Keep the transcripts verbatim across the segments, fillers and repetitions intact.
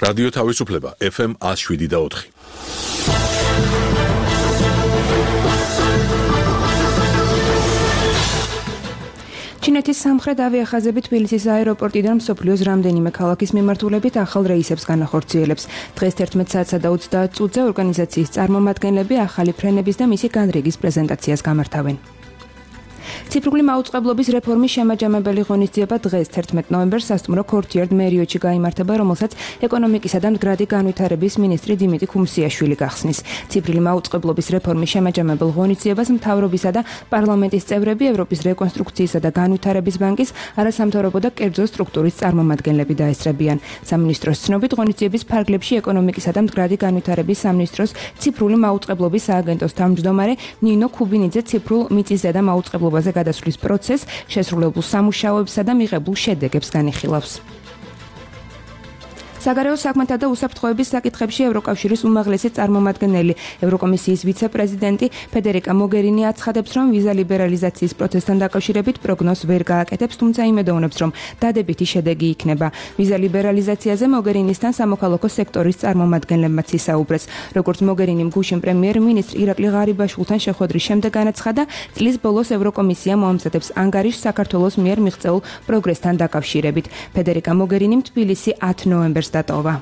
რადიო თავისუფლება ეფ ემ one oh seven და four. ჩინეთის სამხრეთ ავიახაზები თბილისის აეროპორტიდან მსოფლიოს რამდენიმე ქალაქის მიმართულებით ახალ რეისებს განახორციელებს. დღეს თერთმეტ საათსა და ოცდაათ წუთზე ორგანიზაციის წარმომადგენლები ახალი ფრენების და მისი განრიგის პრეზენტაციას გამართავენ. ციფრული მაუწყებლობის რეფორმის შემაჯამებელი ღონისძიება დღეს თერთმეტ ნოემბერს სასტუმრო ქორთიარდ მერიოტში გაიმართება, რომელსაც ეკონომიკისა და მდგრადი განვითარების მინისტრი დიმიტრი ქუმსიაშვილი გახსნის. ციფრული მაუწყებლობის რეფორმის შემაჯამებელ ღონისძიებას მთავრობისა და პარლამენტის წევრები, ევროპის რეკონსტრუქციისა და განვითარების ბანკის, არასამთავრობო და კერძო სტრუქტურის წარმომადგენლები დაესწრებიან. სამინისტროს ცნობით, ღონისძიების ფარგლებში ეკონომიკისა და მდგრადი განვითარების სამინისტროს ციფრული მაუწყებლობის სააგენტოს თავმჯდომარე ნინო ქუბინიძე ციფრულ მიწისზედა და მაუწყებლობაზე გადასვლის პროცესს, შესრულებულ სამუშაოებსა და მიღებულ შედეგებს განიხილავს. საგარეო საქმეთა და უსაფრთხოების საკითხებში ევროკავშირის უმაღლესი წარმომადგენელი, ევროკომისიის ვიცე-პრეზიდენტი ფედერიკა მოგერინი აცხადებს, რომ ვიზა ლიბერალიზაციის პროცესთან დაკავშირებით პროგნოზს ვერ გააკეთებს, თუმცა იმედოვნებს, რომ დადებითი შედეგი იქნება. ვიზა ლიბერალიზაციაზე მოგერინისთან სამოქალაქო სექტორის წარმომადგენლებმაც ისაუბრეს. როგორც მოგერინიმ გუშინ პრემიერ-მინისტრ ირაკლი ღარიბაშვილთან შეხვედრის შემდეგ განაცხადა, წლის ბოლოს ევროკომისია მოამზადებს ანგარიშს საქართველოს მიერ მიღწეულ პროგრესთან დაკავშირებით. ფედერიკა მოგერინიმ თბილისი ათ ნოემბერს დატოვა.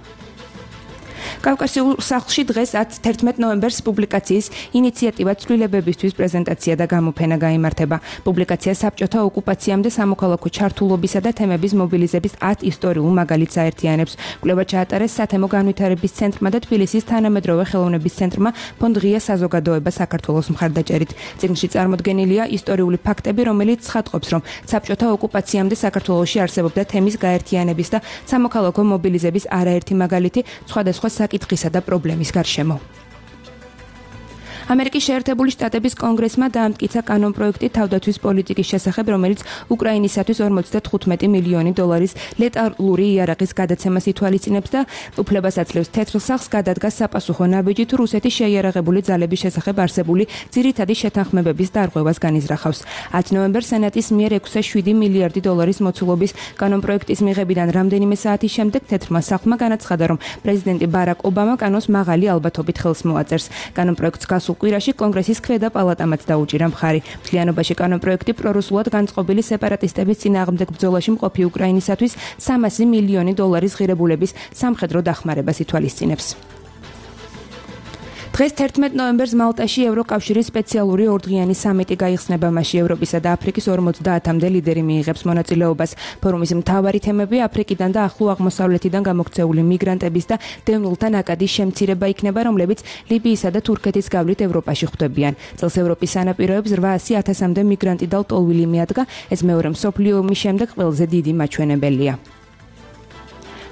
კავკასიურ სახლში დღეს თერთმეტ ნოემბერს პუბლიკაციის ინიციატივა ცვლილებებისთვის პრეზენტაცია და გამოფენა გაიმართება. პუბლიკაცია საბჭოთა ოკუპაციამდე სამოქალაქო ჩართულობისა და თემების მობილიზების ათ ისტორიულ მაგალითს აერთიანებს. კვლევა ჩაატარეს სათემო განვითარების ცენტრმა და თბილისის თანამედროვე ხელოვნების ცენტრმა ფონდ ღია საზოგადოება საქართველოს მხარდაჭერით. წიგნში წარმოდგენილია ისტორიული ფაქტები, რომელიც ცხადყოფს, რომ საბჭოთა ოკუპაციამდე საქართველოში არსებობდა თემის გაერთიანების და სამოქალაქო მობილიზების არაერთი მაგალითი სხვადასხვა საკითხისა და პრობლემის გარშემო. ამერიკის შეერთებული შტატების კონგრესმა დაამტკიცა კანონპროექტი თავდაცვის პოლიტიკის შესახებ, რომელიც უკრაინისათვის ორმოცდათხუთმეტი მილიონი დოლარის ლეტალური იარაღის გადაცემას ითვალისწინებს და უფლებას აძლევს თეთრ სახლს გადადგას საპასუხო ნაბიჯი თუ რუსეთის შეიარაღებული ძალების შესახებ არსებული ძირითადი შეთანხმებების დარღვევას განიზრახავს. ათ ნოემბერს სენატის მიერ ექვსი და შვიდი მილიარდი დოლარის მოცულობის კანონპროექტის მიღებიდან რამდენიმე საათის შემდეგ თეთრმა სახლმა განაცხადა, რომ პრეზიდენტი ბარაკ ობამა კანონს მაღალი ალბათობით ხელს მოაწერს. კანონპროექტს გასულ კვირაში კონგრესის ქვედა პალატამაც დაუჭირა მხარი. მთლიანობაში კანონპროექტი პრორუსულად განწყობილი სეპარატისტების წინააღმდეგ ბრძოლაში მყოფი უკრაინისათვის სამასი მილიონი დოლარის ღირებულების სამხედრო დახმარებას ითვალისწინებს. დღეს თერთმეტ ნოემბერს მალტაში ევროკავშირის სპეციალური ორდღიანი სამიტი გაიხსნება, მასში ევროპისა და აფრიკის ორმოცდაათამდე ლიდერი მიიღებს მონაწილეობას. ფორუმის მთავარი თემები აფრიკიდან და ახლო აღმოსავლეთიდან გამოქცეული მიგრანტების და დევნილთა ნაკადის შემცირება იქნება, რომლებიც ლიბიისა და თურქეთის გავლით ევროპაში ხვდებიან. წელს ევროპის სანაპიროებს რვაასი ათასამდე მიგრანტი და ლტოლვილი მიადგა, ეს მეორე მსოფლიო ომის შემდეგ ყველაზე დიდი მაჩვენებელია.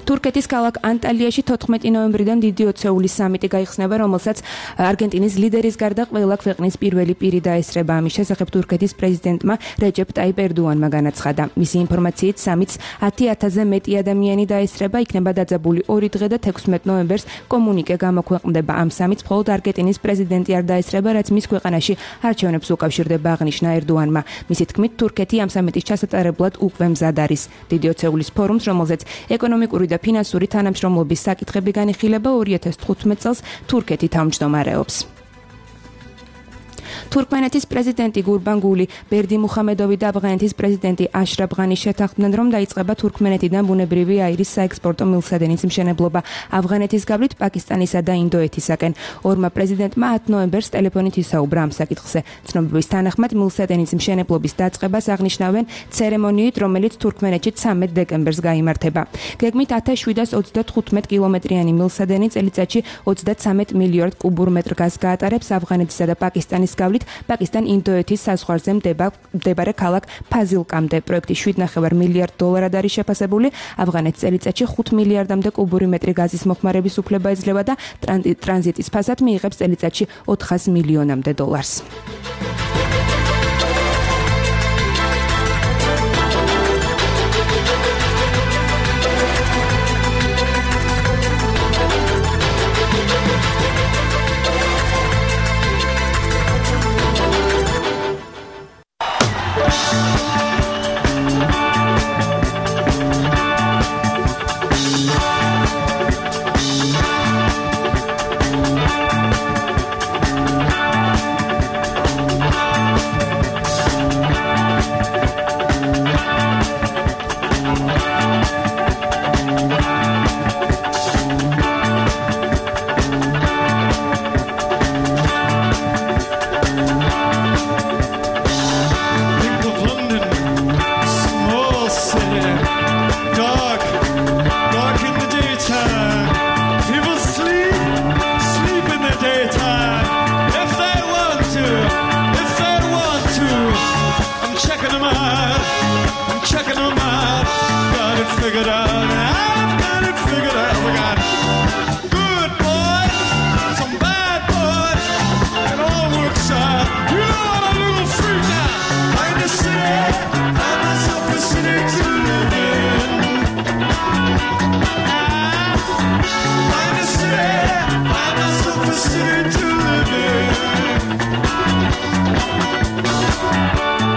თურქეთის ქალაქ ანტალიაში თოთხმეტი ნოემბრიდან დიდი ოცეულის სამიტი გაიხსნება, რომელსაც არგენტინის ლიდერის გარდა ყველა ქვეყნის პირველი პირი დაესწრება. ამის შესახებ თურქეთის პრეზიდენტმა რეჯეპ ტაიპ ერდოანმა განაცხადა. მისი ინფორმაციით სამიტს ათი ათასზე მეტი ადამიანი დაესწრება, იქნება დაძაბული ორი დღე და თექვსმეტ ნოემბერს კომუნიკე გამოქვეყნდება. ამ სამიტს მხოლოდ არგენტინის პრეზიდენტი არ დაესწრება, რაც მის ქვეყანაში არჩევნებს უკავშირდება, აღნიშნა ერდოანმა. მისი თქმით, თურქეთი ამ სამიტის ჩასატარებლად უკვე მზად არის. დიდი ოცეულის ფორუმს, რომელზეც ეკონომიკური და ფინანსური თანამშრომლობის საკითხები განიხილება, ორი ათას თხუთმეტ წელს თურქეთი თავმჯდომარეობს. თურქმენეთის პრეზიდენტი გურბანგული ბერდიმუხამედოვი და ავღანეთის პრეზიდენტი აშრაფ ღანის შეთანხმდნენ, რომ დაიწყება თურქმენეთიდან ბუნებრივი აირის საექსპორტო მილსადენის მშენებლობა ავღანეთის გავლით პაკისტანისა და ინდოეთისაკენ. ორმა პრეზიდენტმა ათ ნოემბერს ტელეფონით ისაუბრა ამ საკითხზე. ცნობების თანახმად მილსადენის მშენებლობის დაწყებას აღნიშნავენ ცერემონიით, რომელიც თურქმენეთში ცამეტ დეკემბერს გაიმართება. გეგმით ათას შვიდას ოცდათხუთმეტ კილომეტრიანი მილსადენი წელიწადში ოცდაცამეტ მილიარდ კუბურ მეტრ გაზს გაატარებს ავღანეთისა და პაკისტანის გავლით პაკისტან-ინდოეთის საზღვარზე მდებარე ქალაქ ფაზილკამდე. პროექტი შვიდ ნახევარ მილიარდ დოლარად არის შეფასებული. ავღანეთს წელიწადში ხუთ მილიარდამდე კუბური მეტრი გაზის მოხმარების უფლება ეძლევა და ტრანზიტის ფასად მიიღებს წელიწადში ოთხას მილიონამდე დოლარს. them out. I'm checking them out. Got it figured out. I've got it figured out. We got good boys, some bad boys. It all works out. You know I'm a little freak now. Find a city, find myself a city to live in. Find a city, find myself a city to live in.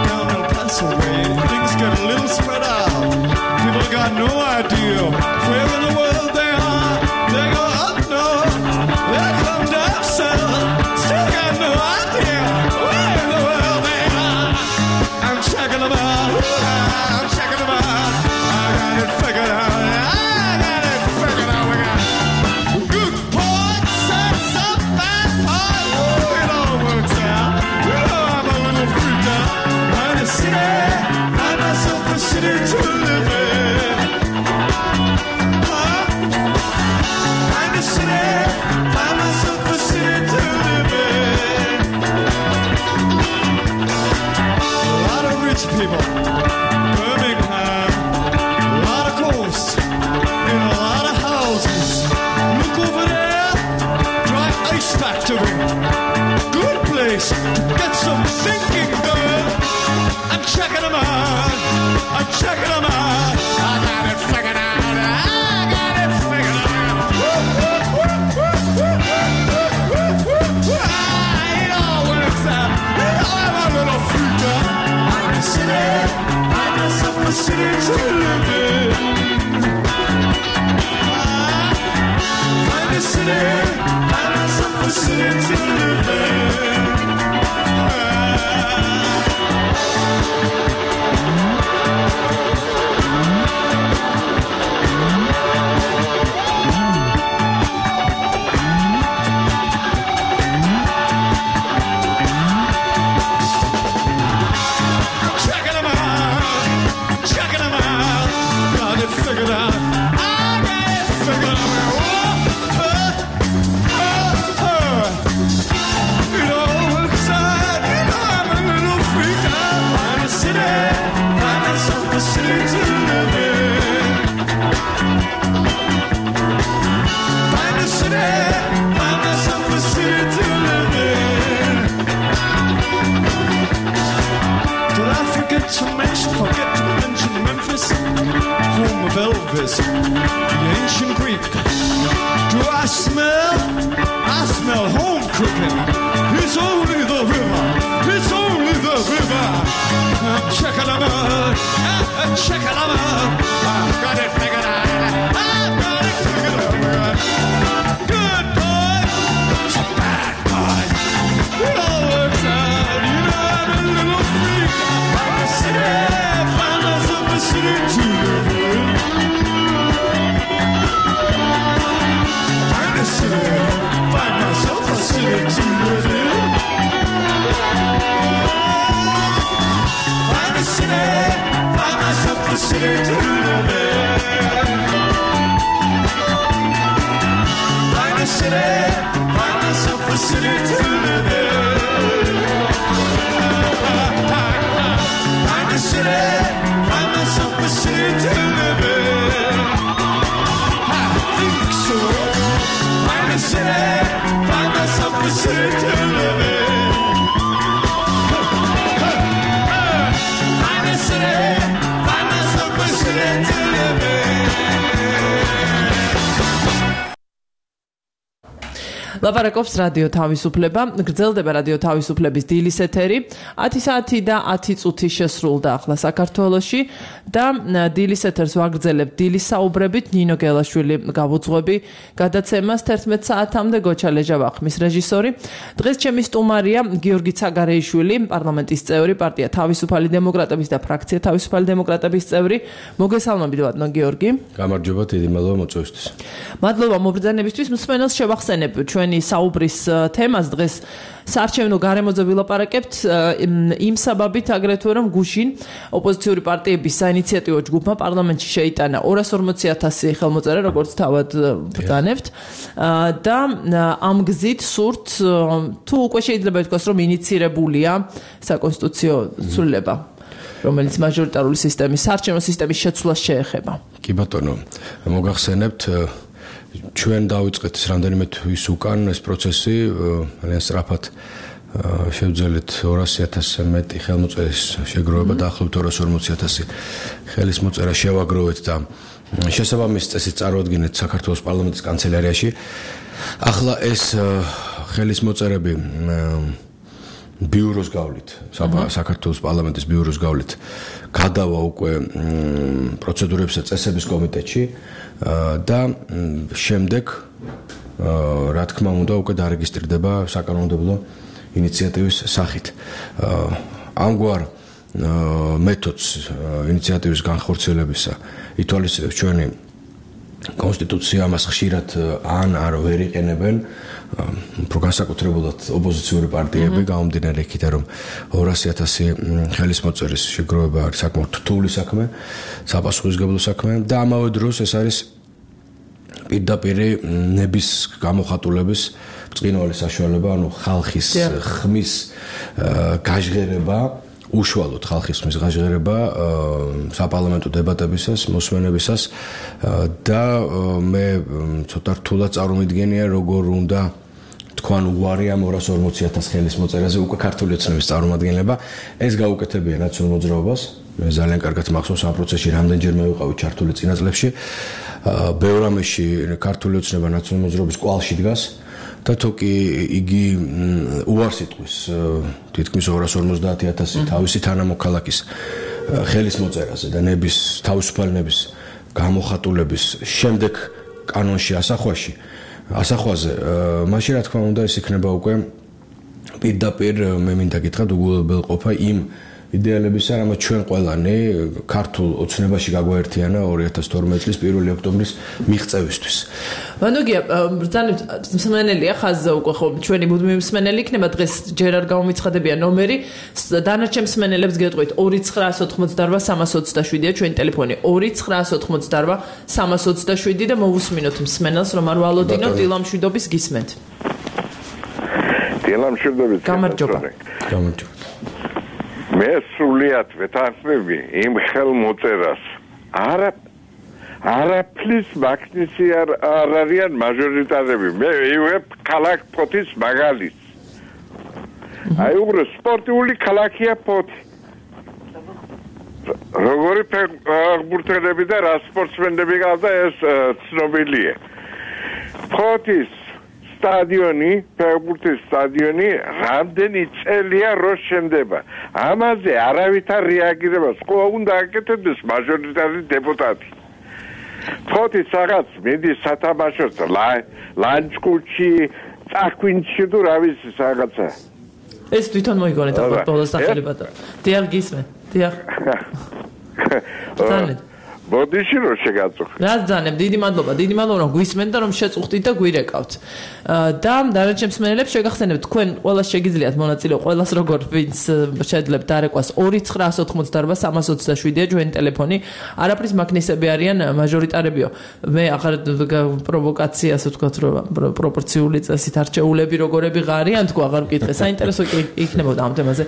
Down in Pennsylvania, things get a little spread out. People got no idea where in the world they are. They go up north, they come down south. Still got no idea where in the world they are. I'm checking them out. I'm checking them out. I got it figured out. I got it figured out. We got good points and some bad points. Oh, it all works out. You know I'm a little freaked out. Find a city, find myself a city to live in. Huh? Find a city, find myself a city to live in. A lot of rich people, Birmingham, a lot of coast, in a lot of houses. Look over there, dry ice factory. Good place to get some thinking done. I'm checking them out. I'm checking them out. I got it figured out. I got it figured out. Woo, woo, woo, woo, woo, woo, woo, woo. Ah, it all works out. You know I'm a little freaked out. I'm a city. I'm myself a city to live in. Ah, find a city. Find myself a city to live in. Checking them out, checking them out. Got it figured out. I got it figured out. Oh, oh, oh, oh. It all works out. You know I'm a little freak out. Find a city, find myself a city to live in. Find a city, find myself a city to live in. Did I forget to mention, forget to mention Memphis, home of Elvis, the ancient Greek? Do I smell? I smell home cooking. It's only the river. It's only the river. I'm checking them out. I'm checking them out. I've got it figured out. I've got it figured out. Good boys, some bad boys. It all works out. You know I'm a little freak. Find a city, find myself a city to live in. Find a city, find myself a city to live in. Find a city, find myself a city to live in. Find a city, find myself a city to live in. Find a city, find myself a city to live in. I think so. Find a city, find myself a city to live in. Find a city, find myself a city to live in. ლაპარაკობს რადიო თავისუფლება, გრძელდება რადიო თავისუფლების დილის ეთერი, ათი საათი და ათი წუთი შესრულდა ახლა საქართველოში და დილის ეთერს ვაგრძელებთ დილის საუბრებით. ნინო გელაშვილი გავუძღვები გადაცემას თერთმეტ საათამდე, გოჩა ლეჟა ვახმის რეჟისორი. დღეს ჩემი სტუმარია გიორგი ცაგარეიშვილი, პარლამენტის წევრი, პარტია თავისუფალი დემოკრატების და ფრაქცია თავისუფალი დემოკრატების წევრი. მოგესალმებით ბატონო გიორგი. გამარჯობა, დიდი მადლობა მოწვევისთვის. მადლობა მობრძანებისთვის. მსმენელს შევახსენებ ჩვენი საუბრის თემას დღეს საარჩევნო გარემოზე ვილაპარაკებთ იმ საბაბით აგრეთვე რომ გუშინ ოპოზიციური პარტიების საინიციატივო ჯგუფმა პარლამენტში შეიტანა ორას ორმოცი ათასი ხელმოწერა, როგორც თავად ბრძანებთ და ამ გზით სურთ თუ უკვე შეიძლება ითქვას რომ ინიცირებულია საკონსტიტუციო ცვლილება. რომელიც მაჟორიტარული სისტემის საარჩევნო სისტემის შეცვლას შეეხება. კი ბატონო, მოგახსენებთ ჩვენ დავიწყეთ რამდენიმე თვის უკან ეს პროცესი, ძალიან სწრაფად შევძელით ორასი ათასზე მეტი ხელმოწერის შეგროვება დაახლოებით ორასი ორმოცი ათასი ხელის მოწერა შევაგროვეთ და შესაბამის წესით წარუადგინეთ საქართველოს პარლამენტის კანცელარიაში. ახლა ეს ხელის მოწერები ბიუროს გავლით, საქართველოს პარლამენტის ბიუროს გავლით გადავა უკვე პროცედურების და წესების კომიტეტში და შემდეგ რა თქმა უნდა უკვე დარეგისტრირდება საკანონმდებლო ინიციატივის სახით. ამგვარ მეთოდს ინიციატივის განხორციელებისა ითვალისწინებს ჩვენი კონსტიტუცია, ამას ხშირად ან არ ვერ იყენებენ უფრო განსაკუთრებულად ოპოზიციური პარტიები, გამომდინარე იქიდან, რომ ორასი ათასი ხელის მოწერის შეგროვება არის საკმაოდ რთული საქმე, საპასუხისმგებლო საქმე და ამავე დროს ეს არის პირდაპირ ნების გამოხატულების ბრწყინვალე საშუალება, ანუ ხალხის ხმის გაჟღერება, უშუალოდ ხალხის ხმის გაჟღერება საპარლამენტო დებატებისას, მოსმენებისას და მე ცოტა რთულად წარმოვიდგენია, როგორ უნდა თქვან უარი ამ ორასი ორმოცი ათას ხელის მოწერაზე უკვე ქართული ოცნების წარმომადგენლება, ეს გაუკეთებია ნაციონალურ მოძრაობას. მე ძალიან კარგად მახსოვს ამ პროცესში რამდენჯერმე ვიყავი ჩართული წინა წლებში. ბევრ რამეში ქართული ოცნება ნაციონალურ მოძრაობის კვალში დგას. და თუ კი იგი უარს იტყვის თითქმის ორასი ორმოცდაათი ათასი თავისი თანამოქალაქის ხელის მოწერაზე და ნების თავისუფალი ნების გამოხატულების შემდეგ კანონში ასახვაში ასახვაზე მაშინ რა თქმა უნდა ეს იქნება უკვე პირდაპირ მე მინდა გითხრათ უგულებელყოფა იმ იდეალებისა, რამაც ჩვენ ყველანი ქართულ ოცნებაში გაგვაერთიანა ორი ათას თორმეტი წლის პირველი ოქტომბრის მიღწევისთვის. ვანდოგია, ბრძანებთ მსმენელია ხაზზე უკვე ხო ჩვენი მუდმივი მსმენელი იქნება დღეს ჯერ არ გამომიცხადებია ნომერი, დანარჩენ მსმენელებს გეტყვით ორი ცხრაას ოთხმოცდარბა სამას ოცდაშვიდია ჩვენი ტელეფონი ორი ცხრაას ოთხმოცდარბა სამას ოცდაშვიდი და მოვუსმინოთ მსმენელს რომ არ ვალოდინოთ დილამშვიდობის გისმენთ. დილამშვიდობის გამარჯობა. გამარჯობა. მე სრულიად ვეთანხმები იმ ხელმოწერას. არა არაფრის მაგნისი არ არიან მაჟორიტარები. მე ვიღებ ქალაქ ფოთის მაგალითს. აი უბრალოდ სპორტული ქალაქია ფოთი. როგორი ფეხბურთელები და რა სპორტსმენები ყავდა ეს ცნობილია. ფოთის სტადიონი, ფეხბურთის სტადიონი რამდენი წელია რო შენდება. ამაზე არავითარ რეაგირებას ყო უნდა აკეთებდეს მაჟორიტარი დეპუტატი. ფოთის რაღაც მიდის სათამაშოს ლანჩკუთში, წახვინში თუ რა ვიცი რაღაცა. ეს თვითონ მოიგონეთ ალბათ ბოლოს სახელებად. დიახ გისმენ. დიახ. ბრძანეთ. ბოდიში რო შეგაწუხ. რა ძანებ, დიდი მადლობა, დიდი მადლობა რომ გვისმენთ და რომ შეწუხდით და გვირეკავთ. და დანარჩენ მსმენელებს შეგახსენებთ, თქვენ ყველას შეგიძლიათ მონაწილეობა, ყველას როგორ ვინც შეძლებთ დარეკვას ორი ცხრაას ოთხმოცდაარბა სამას ოცდაშვიდია ჩვენი ტელეფონი. არაფრის მაგნისები არიან მაჟორიტარებიო. მე ახალ პროვოკაციას ვთქვათ, რომ პროპორციული წესით არჩეულები როგორები ღარიან, თქვა აღარ მკითხე. საინტერესო იქნებოდა ამ თემაზე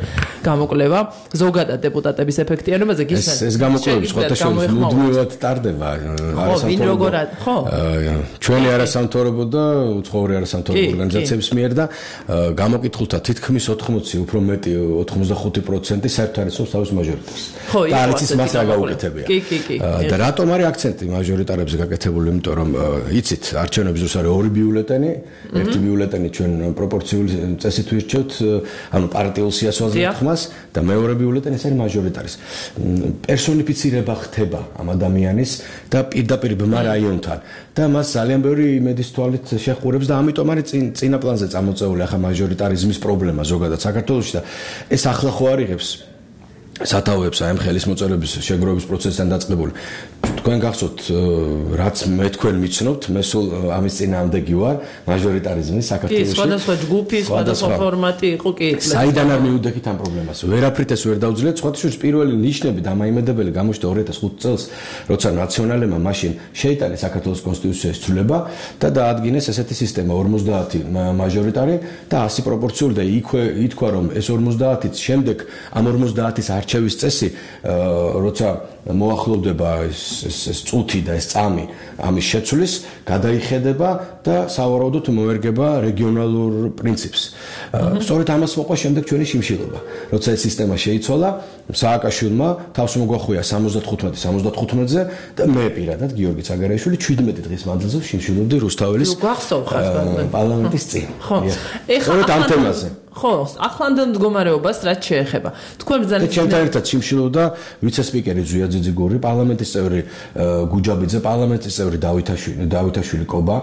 გამოკვლევა. ზოგადად დეპუტატების ეფექტიანობაზე გისმენთ. ეს გამოკვლევები სხვათა შორის მუდმივად ტარდება. ხო, ვინ როგორად, ხო? ჩვენი არასამთავრობო და უცხოური არასამთავრობო ორგანიზაციების მიერ და გამოკითხულთა თითქმის ოთხმოცი, უფრო მეტი ოცდახუთი პროცენტი საერთოდ არიცნობს თავის მაჟორიტარს. ხო, და არც ის მას რა გაუკეთებია. კი, კი, კი. და რატომ არის აქცენტი მაჟორიტარებზე გაკეთებული? იმიტომ რომ იცით, არჩევნების დროს არის ორი ბიულეტენი, ერთი ბიულეტენი ჩვენ პროპორციული წესით ვირჩევთ, ანუ პარტიულ სიას ვაზრობთ ხმას და მეორე ბიულეტენი ეს არის მაჟორიტარის. პერსონიფიცირება ხდება ამ ადამიანის და პირდაპირ ბმა რაიონთან და მას ძალიან ბევრი იმედის თვალით შეხურებს და ამიტომ არის წინა პლანზე წამოწეული ახლა მაჟორიტარიზმის პრობლემა ზოგადად საქართველოში და ეს ახლა ხო არ იღებს სათავეებს აი ამ ხელის მოწერების შეგროვების პროცესთან დაწყებული. თქვენ გახსოვთ რაც მე თქვენ მიცნობთ, მე სულ ამის წინააღმდეგი ვარ, მაჟორიტარიზმის საქართველოში. კი, სხვადასხვა ჯგუფი, სხვადასხვა ფორმატი იყო კი. საიდან არ მივუდექით ამ პრობლემას? ვერაფრით ეს ვერ დავძლიეთ, სხვათა შორის პირველი ნიშნები დამაიმედებელი გამოჩნდა ორი ათას ხუთი წელს, როცა ნაციონალებმა მაშინ შეიტანეს საქართველოს კონსტიტუციის ცვლილება და დაადგინეს ესეთი სისტემა ორმოცდაათი მაჟორიტარი და ასი პროპორციული და იქვე ითქვა რომ ეს ორმოცდაათიც შემდეგ ამ ორმოცდაათის არჩევის წესი როცა მოახლოვდება ეს ეს წუთი და ეს წამი ამის შეცვლის გადაიხედება და სავარაუდოდ მოერგება რეგიონალურ პრინციპს. სწორედ ამას მოყვა შემდეგ ჩვენი შიმშილობა. როცა ეს სისტემა შეიცვალა, სააკაშვილმა თავს მოგვახვია სამოცდათხუთმეტი სამოცდათხუთმეტზე და მე პირადად გიორგი ცაგარეიშვილი შვიდმეტი დღის მანძილზე შიმშილობდი რუსთაველის პარლამენტის წინ. ხო. სწორედ ამ თემაზე. ხო, ახლანდელ მდგომარეობას რაც შეეხება. თქვენ ბრძანეთ ჩემთან ერთად შიმშილობდა ვიცე-სპიკერი ზვია ძიძიგური, პარლამენტის წევრი გუჯაბიძე, პარლამენტის წევრი დავითაშვილი, დავითაშვილი კობა.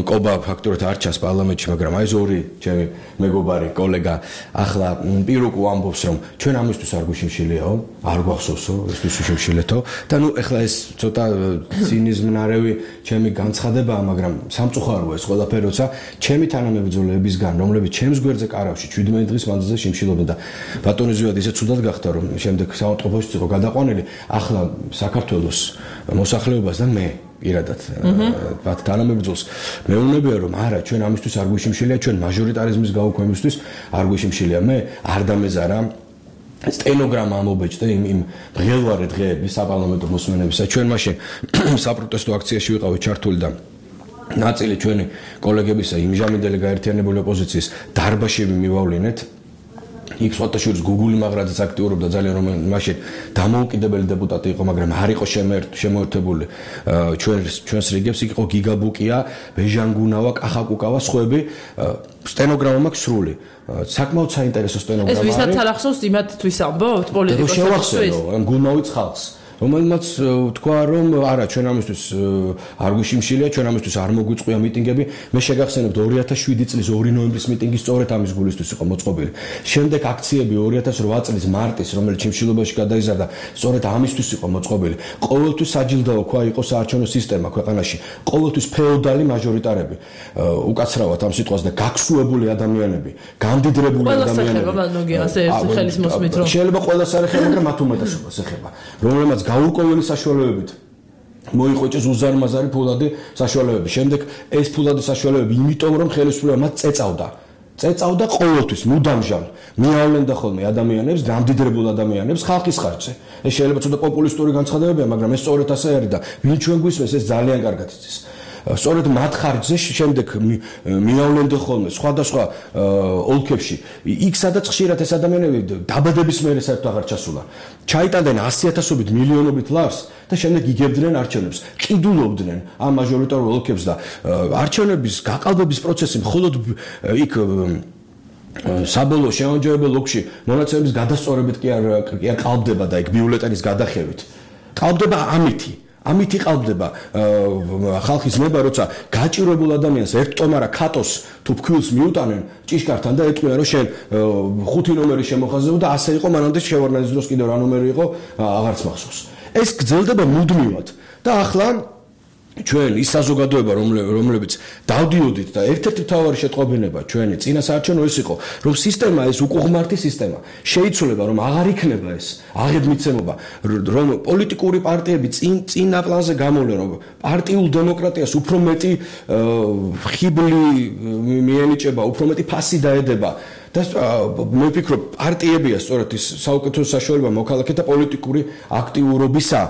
კობა ფაქტობრივად არ ჩანს პარლამენტში, მაგრამ აი ეს ორი ჩემი მეგობარი, კოლეგა ახლა პირუკუ ამბობს, რომ ჩვენ ამისთვის არ გვიშიმშილიაო, არ გვახსოვსო, ესთვის ვიშიმშილეთო და ნუ ეხლა ეს ცოტა ცინიზმნარევი ჩემი განცხადებაა, მაგრამ სამწუხაროა ეს ყველაფერი, როცა ჩემი თანამებრძოლეებისგან, რომლებიც ჩემს გვერდზე კარავში შვიდმეტი დღის მანძილზე შიმშილობდა და ბატონი ზვიად ისე ცუდად გახდა რომ შემდეგ საავადმყოფოში იყო გადაყვანილი ახლა საქართველოს მოსახლეობას და მე პირადად ბათ თანამებრძოლს მეუბნებია რომ არა ჩვენ ამისთვის არ გვიშიმშილია ჩვენ მაჟორიტარიზმის გაუქმებისთვის არ გვიშიმშილია მე არ დამეზარა სტენოგრამა ამობეჭდა იმ იმ მღელვარე დღეების საპარლამენტო მოსმენებისა ჩვენ მაშინ საპროტესტო აქციაში ვიყავით ჩართული და ნაწილი ჩვენი კოლეგებისა იმჟამინდელი გაერთიანებული ოპოზიციის დარბაზში მივავლინეთ იქ სხვათაშორის გუგული მაგრაძეც აქტიურობდა ძალიან რომ მაშინ დამოუკიდებელი დეპუტატი იყო მაგრამ არ იყო შემოერთებული ჩვენს ჩვენს რიგებს იქ იყო გიგაბუკია ბეჟანგუნავა კახაკუკავა სხვები სტენოგრამა მაქვს სრული საკმაოდ საინტერესო სტენოგრამა არის ეს ვისაც არ ახსოვს იმათთვის ამბობთ პოლიტიკოსებისთვის ამ გულმოვით ხალხს რომელმაც თქვა რომ არა ჩვენ ამისთვის არ გვიშიმშილია ჩვენ ამისთვის არ მოგვიწყვია მიტინგები მე შეგახსენებთ ორი ათას შვიდი წლის ორი ნოემბრის მიტინგი სწორედ ამის გულისთვის იყო მოწყობილი შემდეგ აქციები ორი ათას რვა წლის მარტის რომელიც შიმშილობაში გადაიზარდა სწორედ ამისთვის იყო მოწყობილი ყოველთვის საჯილდაო ქვა იყო საარჩევნო სისტემა ქვეყანაში ყოველთვის ფეოდალი მაჟორიტარები უკაცრავად ამ სიტყვას და გაქსუებული ადამიანები გამდიდრებული ადამიანები შეიძლება ყველას არ ეხება მაგრამ მათ უმეტესობას ეხება რომელმაც გაურკვეველი საშუალებებით მოიყვეჭეს უზარმაზარი ფულადი საშუალებები. შემდეგ ეს ფულადი საშუალებები იმიტომ რომ ხელისუფლება მათ წეწავდა. წეწავდა ყოველთვის მუდამჟალ მიავლენდა ხოლმე ადამიანებს, გამდიდრებულ ადამიანებს ხალხის ხარჯზე. ეს შეიძლება ცოტა პოპულისტური განცხადებებია, მაგრამ ეს სწორედ ასე არის და ვინ ჩვენ გვისმენს ეს ძალიან კარგად იცის. სწორედ მათ ხარჯზე შემდეგ მიავლენდა ხოლმე სხვადასხვა ოლქებში იქ სადაც ხშირად ეს ადამიანები დაბადების მერე საერთოდ აღარ ჩასულა ჩაიტანდნენ ასი ათასობით მილიონობით ლარს და შემდეგ იგებდნენ არჩევნებს ყიდულობდნენ ამ მაჟორიტარულ ოლქებს და არჩევნების გაყალბების პროცესი მხოლოდ იქ საბოლოო შემოჯერებელ ოლქში მონაცემების გადასწორებით კი არ კი არ ყალბდება და იქ ბიულეტენის გადახევით ყალბდება ამითი ამით იყალბდება ხალხის ნება როცა გაჭირებულ ადამიანს ერთ ტომარა ქატოს თუ ფქვილს მიუტანენ ჭიშკართან და ეტყვიან რომ შენ ხუთი ნომერი შემოხაზებო და ასე იყო მანამდე შევარნაძის დროს კიდევ რა ნომერი იყო აღარც მახსოვს ეს გრძელდება მუდმივად და ახლა ჩვენ ის საზოგადოება რომლებიც დავდიოდით და ერთ-ერთი მთავარი შეტყობინება ჩვენი წინა საარჩევნო ეს იყო რომ სისტემა ეს უკუღმართი სისტემა შეიცვლება რომ აღარ იქნება ეს აღებმიცემობა რომ პოლიტიკური პარტიები წინ წინა პლანზე გამოვლენ რომ პარტიულ დემოკრატიას უფრო მეტი ხიბლი მიენიჭება უფრო მეტი ფასი დაედება და მე ვფიქრობ პარტიებია სწორედ ის საუკეთესო საშუალება მოქალაქეთა პოლიტიკური აქტიურობისა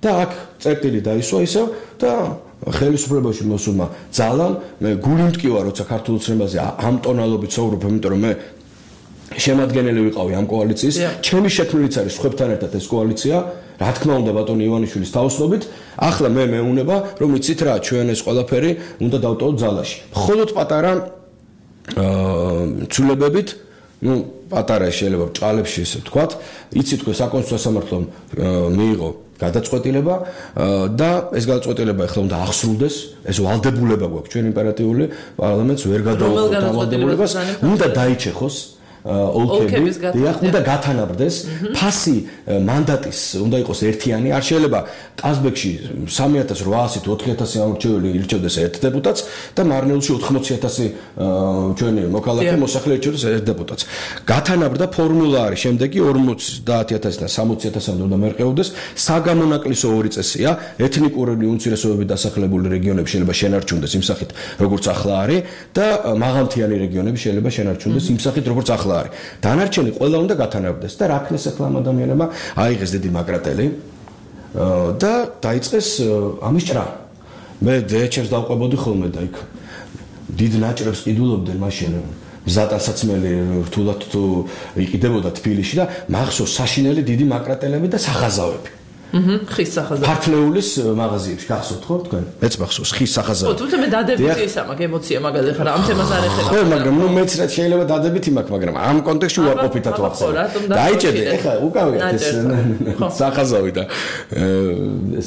და აქ წერტილი დაისვა ისევ და ხელისუფლებაში მოსულმა ძალამ მე გული მტკივა როცა ქართულ ცნებაზე ამ ტონალობით საუბრობ იმიტომ რომ მე შემადგენელი ვიყავი ამ კოალიციის ჩემი შექმნილიც არის სხვებთან ერთად ეს კოალიცია რა თქმა უნდა ბატონი ივანიშვილის თავოსნობით ახლა მე მეუნება რომ იცით რა ჩვენ ეს ყველაფერი უნდა დავტოვოთ ძალაში მხოლოდ პატარა ცვლილებებით ну პატარა შეიძლება ჭალებში ესე ვთქვათ იცით თქვენ საკონსტიტუციო სამართლომ მიიღო გადაწყვეტილება და ეს გადაწყვეტილება ახლა უნდა აღსრულდეს ეს ვალდებულება გვაქვს ჩვენ იმპერატიული პარლამენტს ვერ გადაუხოთ ამ ვალდებულებას უნდა დაიჩეხოს ოლქები დიახ უნდა გათანაბრდეს ფასი მანდატის უნდა იყოს ერთიანი არ შეიძლება ყაზბეგში სამი ათას რვაასი თუ ოთხი ათასი ამორჩეველი ირჩევდეს ერთ დეპუტატს და მარნეულში ოთხმოცი ათასი ჩვენი მოქალაქე მოსახლე ირჩევდეს ერთ დეპუტატს გათანაბრდა ფორმულა არის შემდეგი ორმოცდაათი ათასიდან სამოცი ათასამდე უნდა მერყეოდეს საგამონაკლისო ორი წესია ეთნიკური უმცირესობები დასახლებული რეგიონები შეიძლება შენარჩუნდეს იმ სახით როგორც ახლა არის და მაღალმთიანი რეგიონები შეიძლება შენარჩუნდეს იმ სახით როგორც ახლა არის. დანარჩენი ყველა უნდა გათანაბრდეს და რა ქნეს ახლა ამ ადამიანებმა აიღეს დიდი მაკრატელი და დაიწყეს ამის ჭრა. მე დეჩებს დავყვებოდი ხოლმე და იქ დიდ ნაჭრებს ყიდულობდნენ მაშინ მზატანსაცმელი რთულად თუ იყიდებოდა თბილისში და მახსოვს საშინელი დიდი მაკრატელები და სახაზავები. აჰა, ხის სახაზავები. ქართლეულის მაღაზიებში გახსოვთ ხო თქვენ? მეც მახსოვს ხის სახაზავები. ხო, თუმცა მე დადებითი ისა მაქვს ემოცია მაგალითად ხარ ამ თემას არ ეხება. ხო, მაგრამ ნუ მეც რაც შეიძლება დადებითი მაქვს, მაგრამ ამ კონტექსტში უარყოფითად ვახსენე. დაიჭედე, ეხლა უკავიათ ეს სახაზავი და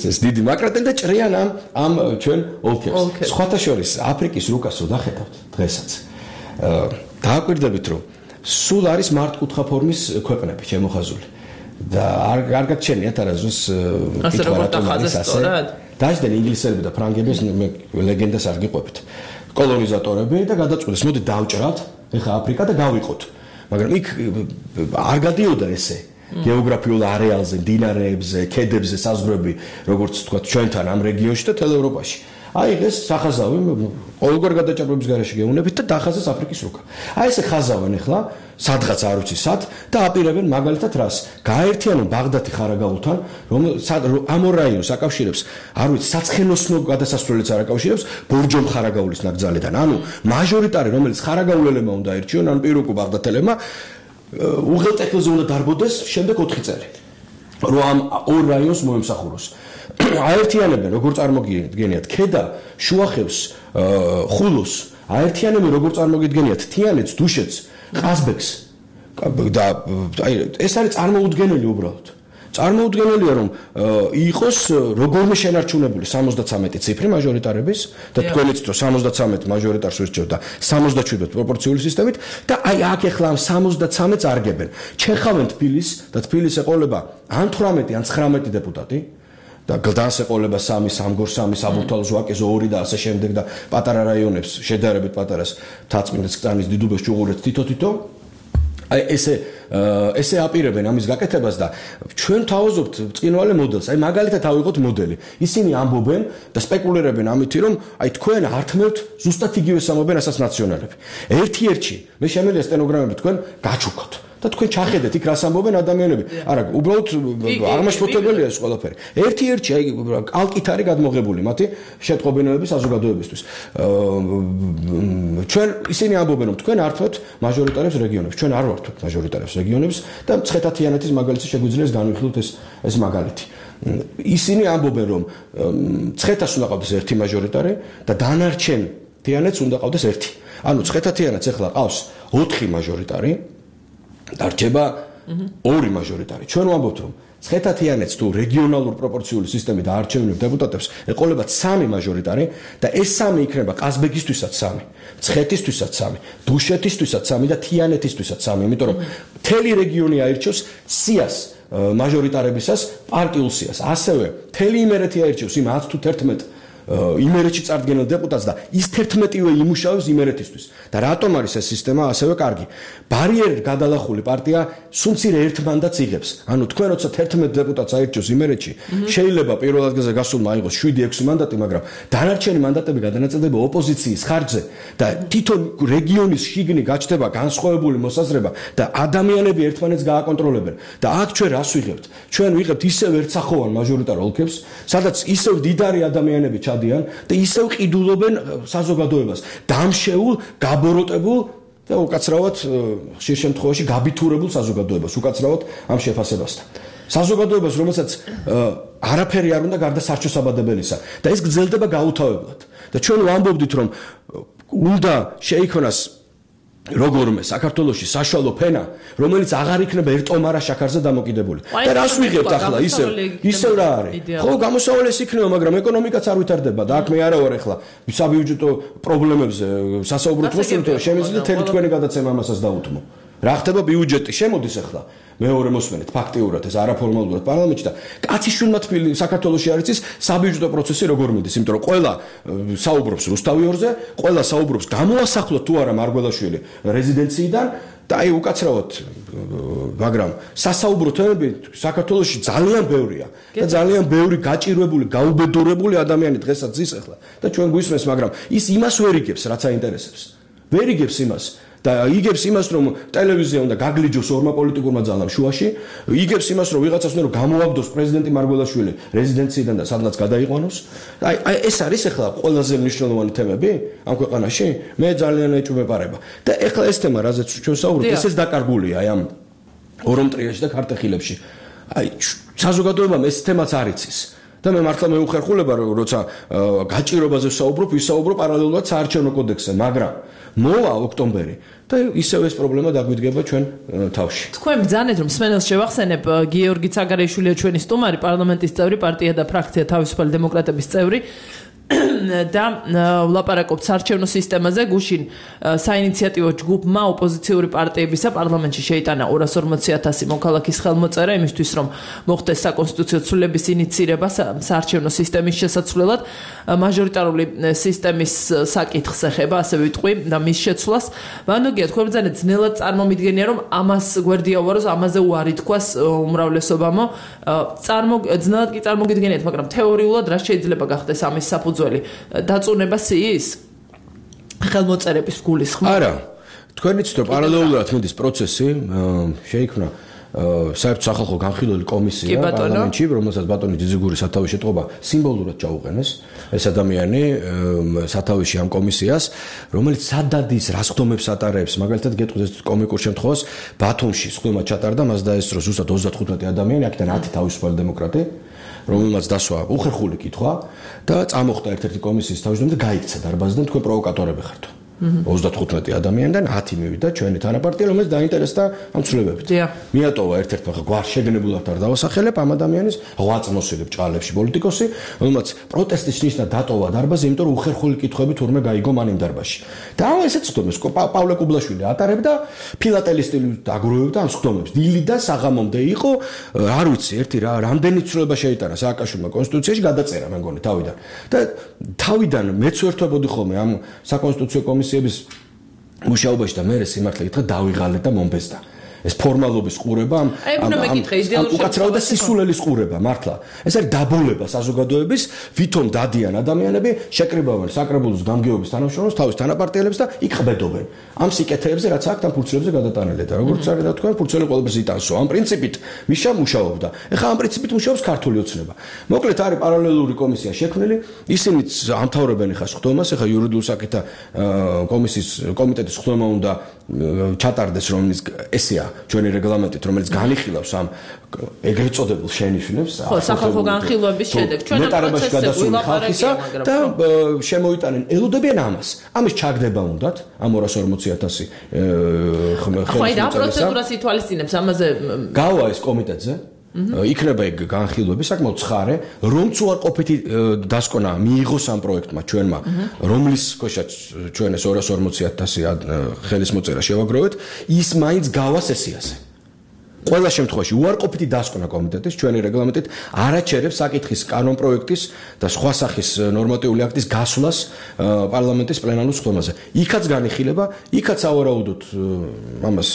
ეს დიდი მაკრატელი და ჭრიან ამ ამ ჩვენ ოლქებს. სხვათა შორის აფრიკის რუკასო დახედავთ დღესაც. დააკვირდებით რომ სულ არის მართკუთხა ფორმის ქვეყნები შემოხაზული. და არ არ გაჩენიათ არასდროს კითხვარატომის ასე დაждენ ინგლისელები და ფრანგები მე ლეგენდას არ გიყვებით კოლონიზატორები და გადაწყვეტეს მოდი დავჭრათ ეხა აფრიკა და გავიყოთ მაგრამ იქ არ გადიოდა ესე გეოგრაფიულ არეალზე მდინარეებზე ქედებზე საზღვრები როგორც თქვა ჩვენთან ამ რეგიონში და თელ ევროპაში აიღეს სახაზავი ყოველგვარ გადაჭრების გარეშე გეუნებით და დახაზეს აფრიკის რუკა აი ესე ხაზავენ ეხლა სადღაც არ ვიცი სად და აპირებენ მაგალითად რას გაერთიანონ ბაღდათი ხარაგაულთან რომ ამ ორ რაიონს აკავშირებს არ ვიცი საცხენოსნო გადასასვლელიც არ აკავშირებს ბორჯომ ხარაგაულის ნაკრძალიდან ანუ მაჟორიტარი რომელიც ხარაგაულელებმა უნდა ირჩიონ ან პირუკუ ბაღდათელებმა უღელტეხილზე უნდა დარბოდეს შემდეგ ოთხი წელი რომ ამ ორ რაიონს მოემსახუროს აერთიანებენ როგორ წარმოგიდგენიათ ქედა შუახევს ხულოს აერთიანებენ როგორ წარმოგიდგენიათ თიანეთს დუშეთს ყაზბეგს და აი ეს არის წარმოუდგენელი უბრალოდ წარმოუდგენელია რომ იყოს როგორმე შენარჩუნებული სამოცდათვრამეტი ციფრი მაჟორიტარების და თქვენიც რომ სამოცდათვრამეტი მაჟორიტარს ურჩევთ და სამოცდაშვიდ პროპორციული სისტემით და აი აქ ეხლა ამ სამოცდათვრამეტს არგებენ ჩეხავენ თბილისს და თბილისს ეყოლება ან თვრამეტი ან ცხრამეტი დეპუტატი და გლდანს ეყოლება სამი სამგორ სამი საბურთალოს ვაკეზე ორი და ასე შემდეგ და პატარა რაიონებს შედარებით პატარას თაწმინდა წანის დიდუბეს ჭუღურეთს თითო-თითო აი ესე ესე აპირებენ ამის გაკეთებას და ჩვენ თავაზობთ წინვალე მოდელს აი მაგალითად ავიღოთ მოდელი ისინი ამბობენ და სპეკულირებენ ამითი რომ აი თქვენ ართმევთ ზუსტად იგივეს ამბობენ რასაც ნაციონალები ერთ-ერთი მე შემიძლია სტენოგრამები თქვენ გაჩუქოთ და თქვენ ჩახედეთ იქ რას ამბობენ ადამიანები არა უბრალოდ აღმაშფოთებელია ეს ყველაფერი ერთ-ერთი აი კალკით არის გადმოღებული მათი შეტყობინოების საზოგადოებისთვის ჩვენ ისინი ამბობენ რომ თქვენ ართმევთ მაჟორიტარებს რეგიონებს ჩვენ არ ვართმევთ მაჟორიტარებს რეგიონებს და მცხეთა-თიანეთის მაგალითს შეგვიძლია განვიხილოთ ეს ეს მაგალითი ისინი ამბობენ რომ მცხეთას უნდა ყავდეს ერთი მაჟორიტარი და დანარჩენ თიანეთს უნდა ყავდეს ერთი ანუ მცხეთა-თიანეთს ახლა ყავს ოთხი მაჟორიტარი დარჩება ორი მაჟორიტარი. ჩვენ ვამბობთ რომ მცხეთა-თიანეთს თუ რეგიონალურ პროპორციული სისტემით აარჩევინებ დეპუტატებს, ეყოლებათ სამი მაჟორიტარი და ეს სამი იქნება ყაზბეგისთვისაც სამი, მცხეთისთვისაც სამი, დუშეთისთვისაც სამი და თიანეთისთვისაც სამი, იმიტომ რომ მთელი რეგიონი აირჩევს სიას მაჟორიტარებისას პარტიულ სიას. ასევე მთელი იმერეთი აირჩევს იმ ათ თუ თერთმეტ იმერეთში წარდგენილ დეპუტატს და ის თერთმეტივე იმუშავებს იმერეთისთვის. და რატომ არის ეს სისტემა ასევე კარგი? ბარიერით გადალახული პარტია სულცირე ერთ მანდატს იღებს. ანუ თქვენ როცა თერთმეტ დეპუტატს აირჩევს იმერეთში, შეიძლება პირველ ადგილზე გასულმა აიღოს შვიდი ექვსი მანდატი, მაგრამ დანარჩენი მანდატები გადანაწილდება ოპოზიციის ხარჯზე და თვითონ რეგიონის შიგნი გაჩნდება განსხვავებული მოსაზრება და ადამიანები ერთმანეთს გააკონტროლებენ. და აქ ჩვენ რას ვიღებთ? ჩვენ ვიღებთ ისევ ერთსახოვან მაჟორიტარ ოლქებს, სადაც ისევ დიდარი ადამიანები და ისევ ყიდულობენ საზოგადოებას დამშეულ, გაბოროტებულ და უკაცრავად ხშირ შემთხვევაში გაბითურებულ საზოგადოებას, უკაცრავად ამ შეფასებასთან. საზოგადოებას, რომელსაც არაფერი არ უნდა გარდა სარჩოსაბადებელისა და ეს გრძელდება გაუთავებლად. და ჩვენ ვამბობდით, რომ უნდა შეიქმნას როგორმე საქართველოში საშუალო ფენა, რომელიც აღარ იქნება ერთომარა შაქარზე დამოკიდებული. და რას ვიღებთ ახლა ისევ ისევ რა არის? ხო, გამოსავალი ეს იქნება, მაგრამ ეკონომიკაც არ ვითარდება და აქ მე არა ვარ ახლა საბიუჯეტო პრობლემებზე სასაუბროთ მოსულით, შემიძლია თელი თქვენი გადაცემა ამასაც დაუთმო. რა ხდება ბიუჯეტი შემოდის ახლა მეორე მოსმენით ფაქტიურად ეს არაფორმალურად პარლამენტში და კაციშვილმა თბილი საქართველოში არის ის საბიუჯეტო პროცესი როგორ მიდის, იმიტომ რომ ყველა საუბრობს რუსთავიორზე, ყველა საუბრობს გამოასახლოთ თუ არა მარგველაშვილი რეზიდენციიდან და აი უკაცრავად მაგრამ სასაუბრო თემები საქართველოში ძალიან ბევრია და ძალიან ბევრი გაჭირვებული, გაუბედურებული ადამიანი დღესაც ზის ახლა და ჩვენ გვისმენს, მაგრამ ის იმას ვერ იგებს, რაც აინტერესებს. ვერ იგებს იმას და იგებს იმას, რომ ტელევიზია უნდა გაგლიჯოს ორმა პოლიტიკურმა ძალამ შუაში, იგებს იმას, რომ ვიღაცას უნდა გამოაგდოს პრეზიდენტი მარგველაშვილი რეზიდენციიდან და სადღაც გადაიყვანოს. აი აი ეს არის ახლა ყველაზე მნიშვნელოვანი თემები ამ ქვეყანაში. მე ძალიან ეჭვმეპარება. და ახლა ეს თემა, რაზეც ჩვენ საუბრობთ, ესეც დაკარგულია აი ამ ორომტრიაში და ქართეხილებში. აი საზოგადოებამ ეს თემაც არ იცის. და მე მართლა მეუხერხულება, როცა გაჭირვებაზე ვსაუბრობ, ვისაუბრო პარალელურად საარჩევნო კოდექსზე, მაგრამ მოვა ოქტომბერი და ისევ ეს პრობლემა დაგვიდგება ჩვენ თავში. თქვენ ბრძანეთ, რომ სმენელს შევახსენებ, გიორგი ცაგარეიშვილია ჩვენი სტუმარი, პარლამენტის წევრი, პარტია და ფრაქცია თავისუფალი დემოკრატების წევრი. და ვლაპარაკობთ საარჩევნო სისტემაზე. გუშინ საინიციატივო ჯგუფმა ოპოზიციური პარტიებისა პარლამენტში შეიტანა ორას ორმოცი ათასი მოქალაქის ხელმოწერა იმისთვის, რომ მოხდეს საკონსტიტუციო ცვლილების ინიცირება საარჩევნო სისტემის შესაცვლელად. მაჟორიტარული სისტემის საკითხს ეხება, ასე ვიტყვი, და მის შეცვლას. ვანოგია, თქვენ ბრძანეთ, ძნელად წარმომიდგენია, რომ ამას გვერდია უაროს, ამაზე უარი თქვას უმრავლესობამო. წარმო ძნელად კი წარმოგიდგენიათ, მაგრამ თეორიულად რა შეიძლება გახდეს ამის საფუძველი? დაწუნება სიის ხელმოწერების გულისხმობ. არა, თქვენ იცით, რომ პარალელურად მიდის პროცესი, შეიქმნა საერთო სახალხო განხილველი კომისია პარლამენტში, რომელსაც ბატონი ძიძიგური სათავეში ეთყობა, სიმბოლურად ჩაუყენეს ეს ადამიანი სათავეში ამ კომისიას, რომელიც სადადის რასხდომებს ატარებს, მაგალითად გეტყვით კომიკურ შემთხვევას, ბათუმში სხდომა ჩატარდა, მას დაესწრო ზუსტად ოცდათხუთმეტი ადამიანი, აქედან ათი თავისუფალი დემოკრატი, რომელმაც დასვა უხერხული კითხვა და წამოხდა ერთ-ერთი კომისიის თავმჯდომარე და გაიქცა დარბაზიდან, თქვენ პროვოკატორები ხართ. ოცდათხუთმეტი ადამიანიდან ათი მივიდა ჩვენი თანაპარტია, რომელიც დაინტერესდა ამ ცვლილებებით. მიატოვა ერთ-ერთმა გვარ შეგნებულად არ დავასახელებ ამ ადამიანის ღვაწმოსილი ბჭყალებში პოლიტიკოსი, რომელმაც პროტესტის ნიშნად დატოვა დარბაზი, იმიტომ რომ უხერხული კითხვები თურმე გაიგო მან იმ დარბაზში. და ამ ესეც ხდომებს პავლე კუბლაშვილი ატარებდა ფილატელის სტილით აგროვებდა ამ ხდომებს. დილი და საღამომდე იყო, არ ვიცი, ერთი რა, რამდენი ცვლილება შეიტანა სააკაშვილმა კონსტიტუციაში, გადაწერა მე მგონი თავიდან. და თავიდან მეც ვერთვებოდი ხოლმე ამ საკონსტიტუციო კომისიების მუშაობაში და მე სიმართლე გითხრა დავიღალე და მომბეზდა. ეს ფორმალობის ყურება ამ უკაცრავ და სისულელის ყურება მართლა. ეს არის დაბოლება საზოგადოების, ვითომ დადიან ადამიანები, შეკრიბავენ საკრებულოს გამგეობის თანამშრომლებს, თავის თანაპარტიელებს და იქ ყბედობენ. ამ სიკეთეებზე, რაც აქ ამ ფურცლებზე გადატანილი და როგორც არის და თქვენ ფურცელი ყოველთვის იტანსო. ამ პრინციპით მიშა მუშაობდა. ეხლა ამ პრინციპით მუშაობს ქართული ოცნება. მოკლედ არის პარალელური კომისია შექმნილი, ისინიც ამთავრებენ ეხლა ხდომას, ეხლა იურიდიულ საკითხთა კომისიის კომიტეტის ხდომა უნდა ჩატარდეს, რომელიც ესეა ჩვენი რეგლამენტით, რომელიც განიხილავს ამ ეგრეთ წოდებულ შენიშვნებს, ხო, სახალხო განხილვების შედეგ ჩვენ ამ პროცესზე ვილაპარაკია, და შემოიტანენ, ელოდებიან ამას. ამის ჩაგდება უნდათ, ამ ორას ორმოცი ათასი ხელმოწერისა. ხო, აი რა პროცედურას ითვალისწინებს ამაზე? გავა ეს კომიტეტზე. იქნება ეგ განხილვები საკმაოდ ცხარე, რომც უარყოფითი დასკვნა მიიღოს ამ პროექტმა ჩვენმა, რომლის ქვეშაც ჩვენ ეს ორას ორმოცი ათასი ხელის მოწერა შევაგროვეთ, ის მაინც გავა სესიაზე. ყველა შემთხვევაში უარყოფითი დასკვნა კომიტეტის ჩვენი რეგლამენტით არაჩერებს საკითხის კანონპროექტის და სხვა სახის ნორმატიული აქტის გასვლას პარლამენტის პლენარულ სხდომაზე. იქაც განიხილება, იქაც ავარაუდოთ ამას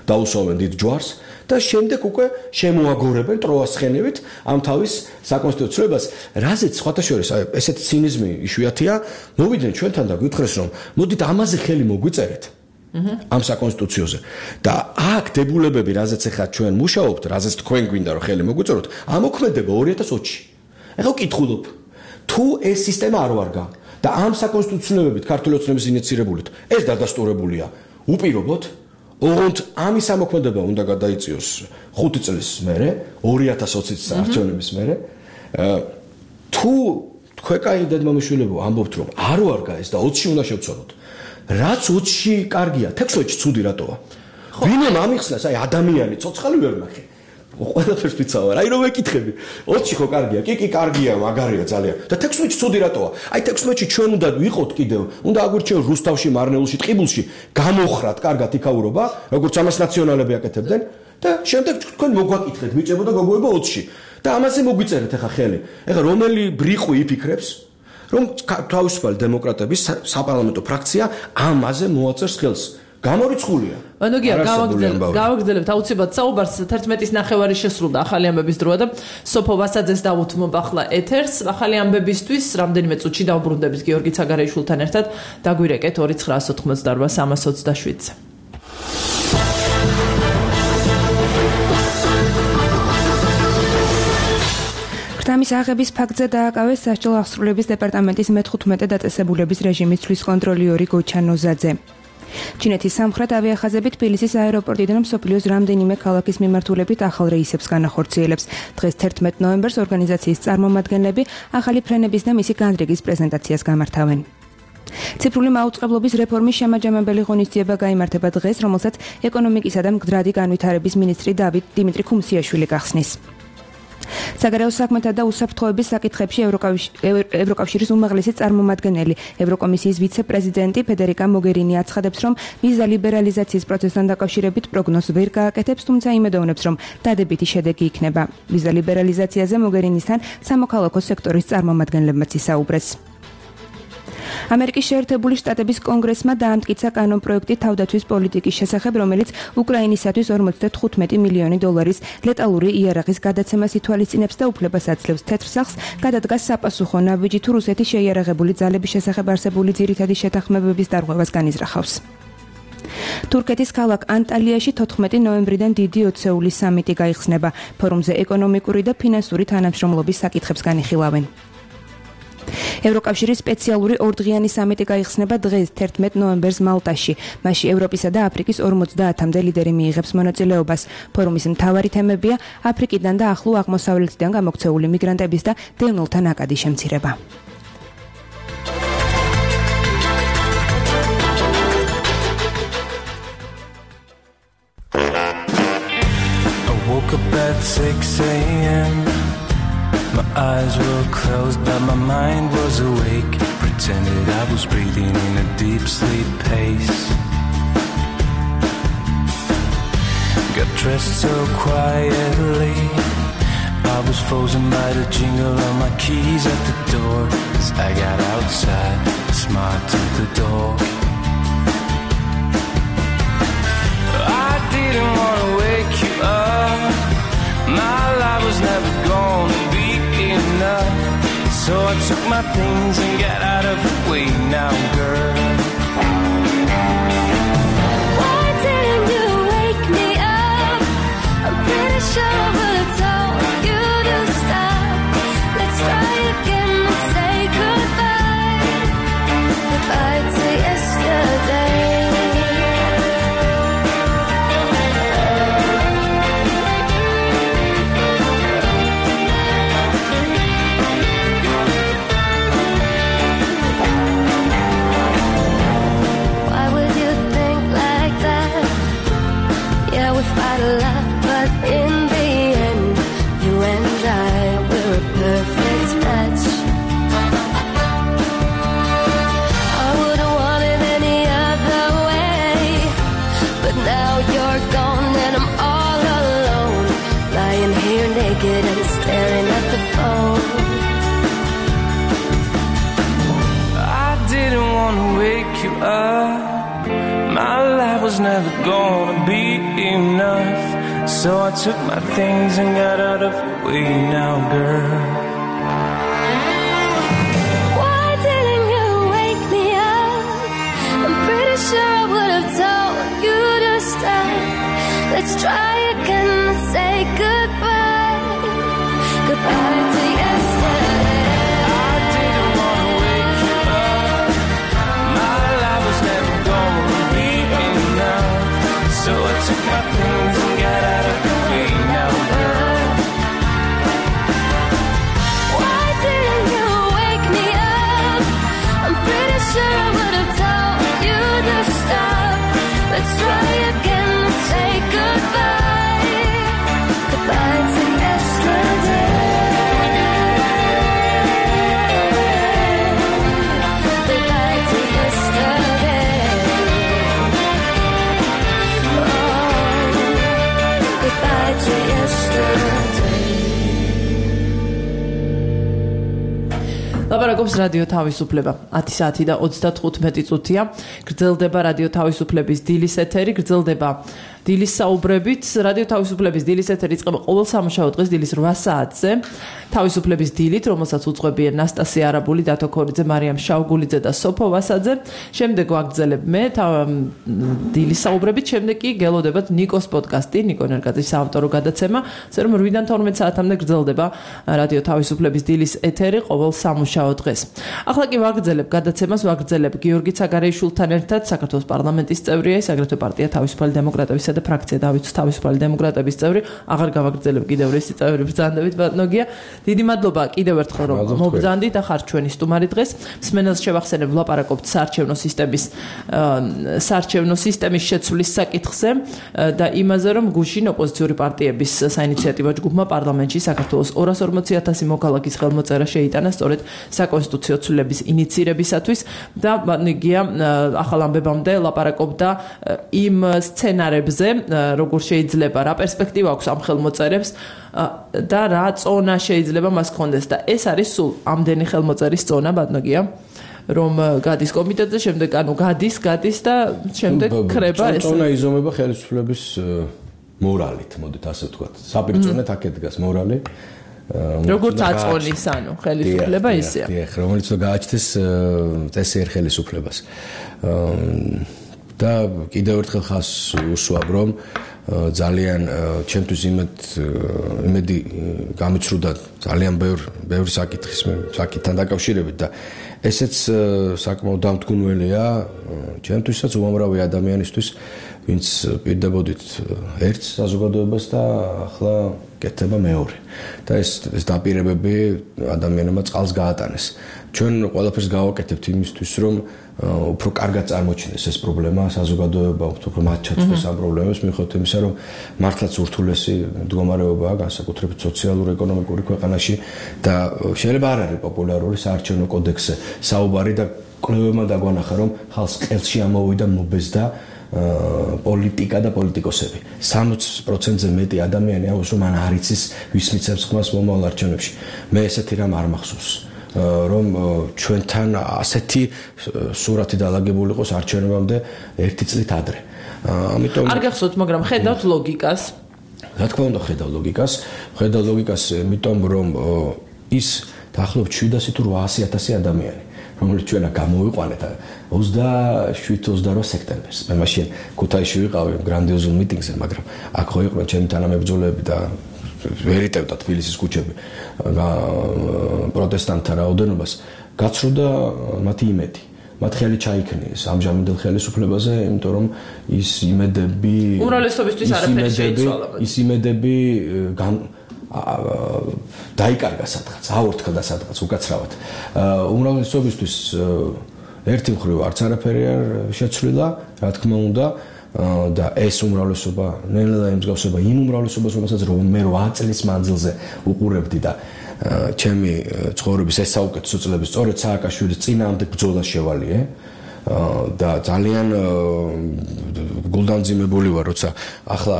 დაუსვამენ დიდ ჯვარს და შემდეგ უკვე შემოაგორებენ ტროას ხენივით ამ თავის საკონსტიტუციო ცვლილებას, რაზეც სხვათა შორის ესეთი ცინიზმი იშვიათია, მოვიდნენ ჩვენთან და გითხრეს, რომ მოდით ამაზე ხელი მოგვიწერეთ. ამ საკონსტიტუციოზე და აქ დებულებები, რაზეც ახლა ჩვენ მუშაობთ, რაზეც თქვენ გვინდა რომ ხელი მოგვიწეროთ, ამოქმედება ორი ათას ოცში. ეხლა ვკითხულობ, თუ ეს სისტემა არ ვარგა და ამ საკონსტიტუციოებით ქართული ოცნების ინიცირებულით ეს დადასტურებულია, უპირობოდ, ოღონდ ამის ამოქმედება უნდა გადაიწიოს ხუთი წლის მერე, ორი ათას ოცის საარჩევნების მერე. თუ თქვენ კაი დედმამიშვილებო ამბობთ, რომ არ ვარგა ეს და ოცში უნდა შევცვალოთ. რაც ოცში კარგია, თექვსმეტში ცუდი რატოა? ვინმე ამიხსნას, აი ადამიანი, ცოცხალი ვერ ნახე. ყველაფერს ვიცავარ. აი რომ ეკითხები. ოცი ხო კარგია? კი, კი, კარგია, მაგარია ძალიან. და თექვსმეტი ცუდი რატოა? აი თექვსმეტში ჩვენ უნდა ვიყოთ კიდევ. უნდა აგვირჩიოს რუსთავში, მარნეულში, ტყიბულში, გამოხრათ კარგად იქაურობა, როგორც ამას ნაციონალები აკეთებდნენ და შემდეგ თქვენ მოგვაკითხეთ, ბიჭებო და გოგოებო ოცში. და ამაზე მოგვიწერეთ ახლა ხელი. ეხლა რომელი ბრიყვი იფიქრებს, რომ თავისუფალი დემოკრატების საპარლამენტო ფრაქცია ამაზე მოაწერს ხელს. გამორიცხულია. ანუ გია გავაგრძელებთ აუცილებლად საუბარს თერთმეტის ნახევარი შესრულდა ახალი ამბების დროა და სოფო ვასაძეს დავუთმობ ახლა ეთერს ახალი ამბებისთვის რამდენიმე წუთში დავბრუნდებით გიორგი ცაგარეიშვილთან ერთად დაგვირეკეთ ორი ცხრაას ოთხმოცდაოთხ სამას ოცდაშვიდზე. ხრთამის აღების ფაქტზე დააკავეს სასჯელო აღსრულების დეპარტამენტის მეთხუთმეტე დაწესებულების რეჟიმის ცვლის კონტროლიორი გოჩა ნოზაძე. ჩინეთის სამხრეთ ავიახაზები თბილისის აეროპორტიდან მსოფლიოს რამდენიმე ქალაქის მიმართულებით ახალ რეისებს განახორციელებს. დღეს თერთმეტ ნოემბერს ორგანიზაციის წარმომადგენლები ახალი ფრენების და მისი განრიგის პრეზენტაციას გამართავენ. ციფრული მაუწყებლობის რეფორმის შემაჯამებელი ღონისძიება გაიმართება დღეს, რომელსაც ეკონომიკისა და მდგრადი განვითარების მინისტრი დავით დიმიტრი ქუმსიაშვილი გახსნის. საგარეო საქმეთა და უსაფრთხოების საკითხებში ევროკავშირის უმაღლესი წარმომადგენელი ევროკომისიის ვიცე-პრეზიდენტი ფედერიკა მოგერინი აცხადებს, რომ ვიზა ლიბერალიზაციის პროცესთან დაკავშირებით პროგნოზს ვერ გააკეთებს, თუმცა იმედოვნებს, რომ დადებითი შედეგი იქნება. ვიზა ლიბერალიზაციაზე მოგერინისთან სამოქალაქო სექტორის წარმომადგენლებმაც ისაუბრეს. ამერიკის შეერთებული შტატების კონგრესმა დაამტკიცა კანონპროექტი თავდაცვის პოლიტიკის შესახებ, რომელიც უკრაინისათვის ორმოცდათხუთმეტი მილიონი დოლარის ლეტალური იარაღის გადაცემას ითვალისწინებს და უფლებას აძლევს თეთრ სახლს გადადგას საპასუხო ნაბიჯი თუ რუსეთის შეიარაღებული ძალების შესახებ არსებული ძირითადი შეთანხმებების დარღვევას განიზრახავს. თურქეთის ქალაქ ანტალიაში თოთხმეტი ნოემბრიდან დიდი ოცეული სამიტი გაიხსნება. ფორუმზე ეკონომიკური და ფინანსური თანამშრომლობის საკითხებს განიხილავენ. ევროკავშირის სპეციალური ორდღიანი სამიტი გაიხსნება დღეს თერთმეტ ნოემბერს მალტაში. მასში ევროპისა და აფრიკის ორმოცდაათამდე ლიდერი მიიღებს მონაწილეობას. ფორუმის მთავარი თემებია აფრიკიდან და ახლო აღმოსავლეთიდან გამოქცეული მიგრანტების და დევნილთა ნაკადი შემცირება. My eyes were closed, but my mind was awake. Pretended I was breathing in a deep sleep pace. Got dressed so quietly. I was frozen by the jingle of my keys at the door. As I got outside, smiled to the dog. I didn't want to wake you up. My life was never gonna be enough. So I took my things and got out of the way now, girl. Why didn't you wake me up? I'm pretty sure I would have told you to stop. Let's try again and say goodbye. Goodbye to yesterday. Fight a lot, but in the end, you and I were a perfect match. I wouldn't want it any other way, but now you're gone and I'm all alone, lying here naked and staring at the phone. I didn't want to wake you up. My life was never gonna be enough. So I took my things and got out of the way now, girl. Why didn't you wake me up? I'm pretty sure I would have told you to stop. Let's try again and say goodbye. Goodbye to yesterday. I didn't want to wake you up. My life was never gonna be enough. So I took my things and got out of the way now, girl. Why didn't you wake me up? I'm pretty sure I would have told you to stop. Let's try again and say goodbye. ლაპარაკობს რადიო თავისუფლება. ათი საათი და ოცდათხუთმეტი წუთია. გრძელდება რადიო თავისუფლების დილის ეთერი, გრძელდება დილის საუბრებით. რადიო თავისუფლების დილის ეთერი იწყება ყოველ სამუშაო დღეს დილის რვა საათზე. თავისუფლების დილით, რომელსაც უძღვებიან ნასტასია არაბული, დათო ქორიძე, მარიამ შავგულიძე და სოფო ვასაძე. შემდეგ ვაგრძელებ მე დილის საუბრებით, შემდეგ კი გელოდებათ ნიკოს პოდკასტი, ნიკო ნერგაძის საავტორო გადაცემა, ასე რომ რვიდან თორმეტ საათამდე გრძელდება რადიო თავისუფლების დილის ეთერი ყოველ სამუშაო დღეს. ახლა კი ვაგრძელებ გადაცემას, ვაგრძელებ გიორგი ცაგარეიშვილთან ერთად, საქართველოს პარლამენტის წევრია, ის აგრეთვე პარტია თავისუფალი დემოკრატებისა და ფრაქცია დავით თავისუფალი დემოკრატების წევრი. აღარ გავაგრძელებ კიდევ ერთი წევრი ბრძანდებით ბატონოგია. დიდი მადლობა კიდევ ერთხელ რომ მობრძანდით და ხართ ჩვენი სტუმარი დღეს. მსმენელს შევახსენებ ვლაპარაკობთ საარჩევნო სისტემის საარჩევნო სისტემის შეცვლის საკითხზე და იმაზე რომ გუშინ ოპოზიციური პარტიების საინიციატივო ჯგუფმა პარლამენტში საქართველოს ორას ორმოცი ათასი მოქალაქის ხელმოწერა შეიტანა სწორედ საკონსტიტუციო ცვლილების ინიცირებისათვის და ბატონიგია ახალ ამბებამდე ლაპარაკობდა იმ სცენარებზე, როგორ შეიძლება, რა პერსპექტივა აქვს ამ ხელმოწერებს და რა წონა შეიძლება მას ჰქონდეს და ეს არის სულ ამდენი ხელმოწერის წონა ბატონოგია რომ გადის კომიტეტზე, შემდეგ ანუ გადის, გადის და შემდეგ ქრება ეს. წონა იზომება ხელისუფლების მორალით, მოდით ასე ვთქვათ. საპირწონეთ აქეთ დგას მორალი. როგორც აწონის, ანუ ხელისუფლება ისეა. დიახ, რომელიც გააჩნდეს წესიერ ხელისუფლებას. და კიდევ ერთხელ ხას უსვამ რომ ძალიან ჩემთვის იმედ იმედი გამიცრუდა ძალიან ბევრ ბევრ საკითხის საკითხთან დაკავშირებით და ესეც საკმაოდ დამთგუნველია ჩემთვისაც უამრავი ადამიანისთვის ვინც პირდებოდით ერთ საზოგადოებას და ახლა კეთდება მეორე და ეს ეს დაპირებები ადამიანებმა წყალს გაატანეს ჩვენ ყველაფერს გავაკეთებთ იმისთვის რომ უფრო კარგად წარმოჩინდეს ეს პრობლემა საზოგადოება უფრო მათ ჩაწვეს ამ პრობლემებს მიუხედავად იმისა რომ მართლაც ურთულესი მდგომარეობაა განსაკუთრებით სოციალურ-ეკონომიკური ქვეყანაში და შეიძლება არ არის პოპულარული საარჩევნო კოდექსზე საუბარი და კვლევებმა დაგვანახა რომ ხალხს ყელში ამოვიდა მობეზდა პოლიტიკა და პოლიტიკოსები სამოცი პროცენტზე მეტი ადამიანი აქვს რომ ან არ იცის ვის მიცემს ხმას მომავალ არჩევნებში მე ესეთი რამ არ მახსოვს რომ ჩვენთან ასეთი სურათი დალაგებული იყოს არჩევნებამდე ერთი წლით ადრე. ამიტომ არ გახსოვთ, მაგრამ ხედავთ ლოგიკას. რა თქმა უნდა, ხედავ ლოგიკას, ხედავ ლოგიკას, იმიტომ რომ ის დაახლოებით შვიდასი თუ რვაასი ათასი ადამიანი, რომელიც ჩვენა გამოვიყვანეთ ოცდაშვიდ ოცდარვა სექტემბერს. მე მაშინ ქუთაისში ვიყავი გრანდიოზულ მიტინგზე, მაგრამ აქ ხო იყვნენ ჩემი თანამებრძოლები და ვერიტევდა თბილისის ქუჩები პროტესტანტთა რაოდენობას გაცრუდა მათი იმედი მათ ხელი ჩაიქნიეს ამჟამინდელ ხელისუფლებაზე იმიტომ რომ ის იმედები უმრავლესობისთვის არაფერი შეიცვალა ის იმედები დაიკარგა სადღაც აორთქლდა სადღაც უკაცრავად უმრავლესობისთვის ერთი მხრივ არც არაფერი არ შეცვლილა რა თქმა უნდა და ეს უმრავლესობა ნელა იმსგავსება იმ უმრავლესობას რომელსაც რომ მე რვა წლის მანძილზე უყურებდი და ჩემი ცხოვრების ეს საუკეთესო წლები სწორედ სააკაშვილის წინააღმდეგ ბრძოლას შევალიე და ძალიან გულდამძიმებული ვარ როცა ახლა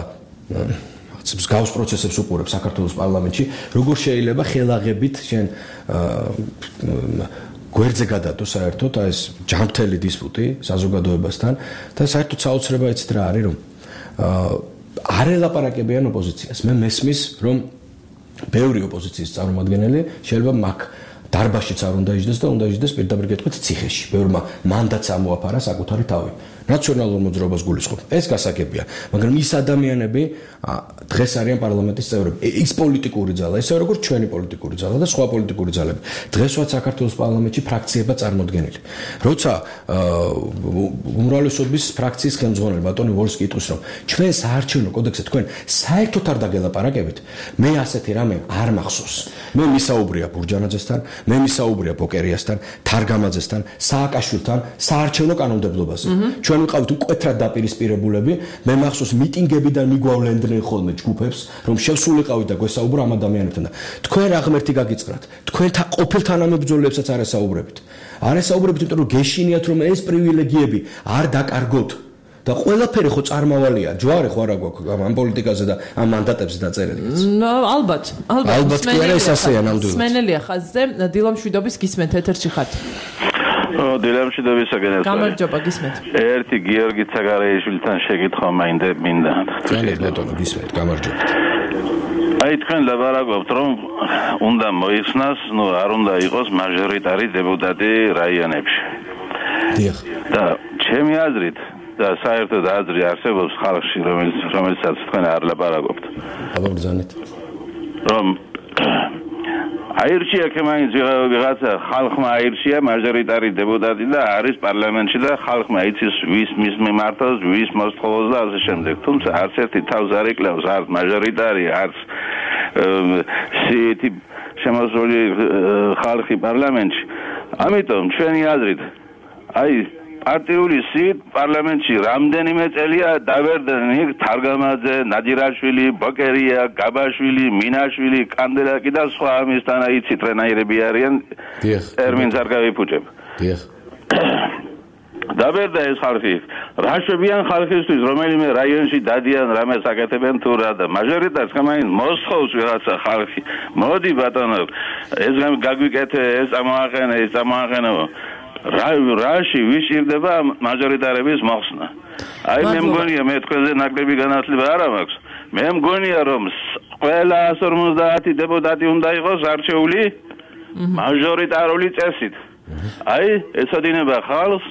მსგავს პროცესებს უყურებ საქართველოს პარლამენტში როგორ შეიძლება ხელაღებით შენ გვერდზე გადადო საერთოდ ეს ჯანმრთელი დისპუტი საზოგადოებასთან და საერთოდ საოცრება იცით რა არის რომ არ ელაპარაკებიან ოპოზიციას მე მესმის რომ ბევრი ოპოზიციის წარმომადგენელი შეიძლება მაგ დარბაშიც არ უნდა იჯდეს და უნდა იჯდეს პირდაპირ გეტყვით ციხეში ბევრმა მანდატს ამოაფარა საკუთარი თავი ნაციონალურ მოძრაობას გულისხმობ ეს გასაგებია მაგრამ ის ადამიანები დღეს არიან პარლამენტის წევრები ის პოლიტიკური ძალა ესე როგორც ჩვენი პოლიტიკური ძალა და სხვა პოლიტიკური ძალები დღესვაც საქართველოს პარლამენტში ფრაქციებად წარმოდგენილი როცა უმრავლესობის ფრაქციის ხელმძღვანელი ბატონი ვოლს კითხვის რომ ჩვენ საარჩევნო კოდექსზე თქვენ საერთოდ არ დაგელაპარაკებით მე ასეთი რამე არ მახსოვს მე მისაუბრია ბურჯანაძესთან მე მისაუბრია ბოკერიასთან თარგამაძესთან სააკაშვილთან საარჩევნო კანონმდებლობაზე ჩვენ ვიყავით მკვეთრად დაპირისპირებულები მე მახსოვს მიტინგებიდან მიგვავლენდნენ ხოლმე ჯგუფებს რომ შევსულიყავით და გვესაუბრა ამ ადამიანებთან და თქვენ რა ღმერთი გაგიწყრათ თქვენთან ყოფილ თანამებრძოლებსაც არ ესაუბრებით არ ესაუბრებით იმიტომ რომ გეშინიათ რომ ეს პრივილეგიები არ დაკარგოთ და ყველაფერი ხო წარმავალია, ჯვარი ხო არა გვაქვს ამ პოლიტიკაზე და ამ მანდატებზე დაწერილი. ალბათ, ალბათ. ალბათ კი არა ეს ასეა ნამდვილად. სმენელია ხაზზე, დილამშვიდობის გისმენთ ეთერში ხართ. ო, დილამშვიდობისაგან ეს. გამარჯობა, გისმენთ. ერთი გიორგი ცაგარეიშვილთან შეკითხვა მინდა მინდა. ძალიან ბატონო გისმენთ, გამარჯობათ. აი თქვენ ლაბარაკობთ რომ უნდა მოიხსნას, ნუ არ უნდა იყოს მაჟორიტარი დეპუტატი რაიონებში. დიახ. და ჩემი აზრით და საერთოდ აზრი არსებობს ხალხში, რომელიც რომელსაც თქვენ არ ლაბარაკობთ. აბაგრძანეთ. რომ აირჩია კემაინც ვიღაცა ხალხმა აირჩია მაჟორიტარი დეპუტატი და არის პარლამენტში და ხალხმა იცის ვის მის მიმართავს, ვის მოსთხოვს და ასე შემდეგ. თუმცა არც ერთი თავს არ იკლავს არც მაჟორიტარი, არც სიეთი შემოსული ხალხი პარლამენტში. ამიტომ ჩვენი აზრით აი პარტიული სიით პარლამენტში რამდენიმე წელია დავერდნენ იქ თარგამაძე, ნადირაშვილი, ბოკერია, გაბაშვილი, მინაშვილი, კანდელაკი და სხვა ამისთან იცით რენაირები არიან. დიახ. ტერმინს არ გავიფუჭებ. დიახ. დავერდა ეს ხალხი. რა შვებიან ხალხისთვის, რომელიმე რაიონში დადიან, რამეს აკეთებენ თუ რა და მაჟორიტარს კამაინ მოსხოვს ვიღაცა ხალხი. მოდი ბატონო, ეს გაგვიკეთე, ეს ამოაყენე, ეს ამოაყენო. რა რაში ვიშირდება მაჟორიტარების მოხსნა. აი მე მგონია მე თქვენზე ნაკლები განათლება არ მაქვს. მე მგონია რომ ყველა εκατს ორმოცდაათი დეპუტატი უნდა იყოს არჩეული მაჟორიტარული წესით. აი ეცოდინება ხალხს.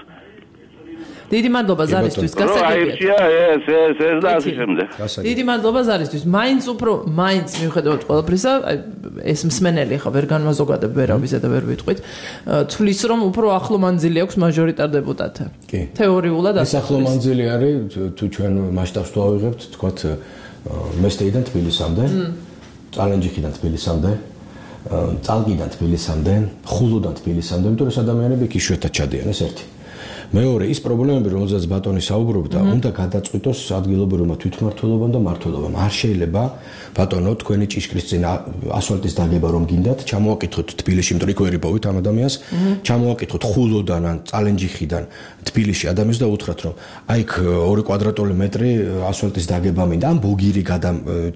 დიდი მადლობა ზარისთვის გასაგებია. აირჩია ეს ეს ეს და ასე შემდეგ. დიდი მადლობა ზარისთვის. მაინც უფრო მაინც მიუხედავად ყველაფრისა, ეს მსმენელი ხა ვერ განმაზოგადებ ვერავიზე და ვერ ვიტყვით. თulis რომ უფრო ახლო მანძილი აქვს მაჟორიტარ დეპუტატთან. კი. თეორიულად ეს ახლო მანძილი არის თუ ჩვენ მასშტაბს თუ ავიღებთ, თქვათ მესტეიდან თბილისამდე, წალენჯიხიდან თბილისამდე, წალკიდან თბილისამდე, ხულოდან თბილისამდე, იმიტომ რომ ადამიანები იქ იშვიათად ჩადიან, ეს ერთი. მეორე ის პრობლემები, რომელზეც ბატონი საუბრობდა, უნდა გადაწყვიტოს ადგილობრივმა თვითმმართველობამ და მმართველობამ. არ შეიძლება ბატონო თქვენი ჭიშკრის წინ ასფალტის დაგება რომ გინდათ, ჩამოაკითხოთ თბილისში, იმიტომ რომ იქ ვერ იპოვით ამ ადამიანს, ჩამოაკითხოთ ხულოდან ან წალენჯიხიდან თბილისში ადამიანს და უთხრათ რომ აი იქ ორი კვადრატული მეტრი ასფალტის დაგება მინდა, ან ბოგირი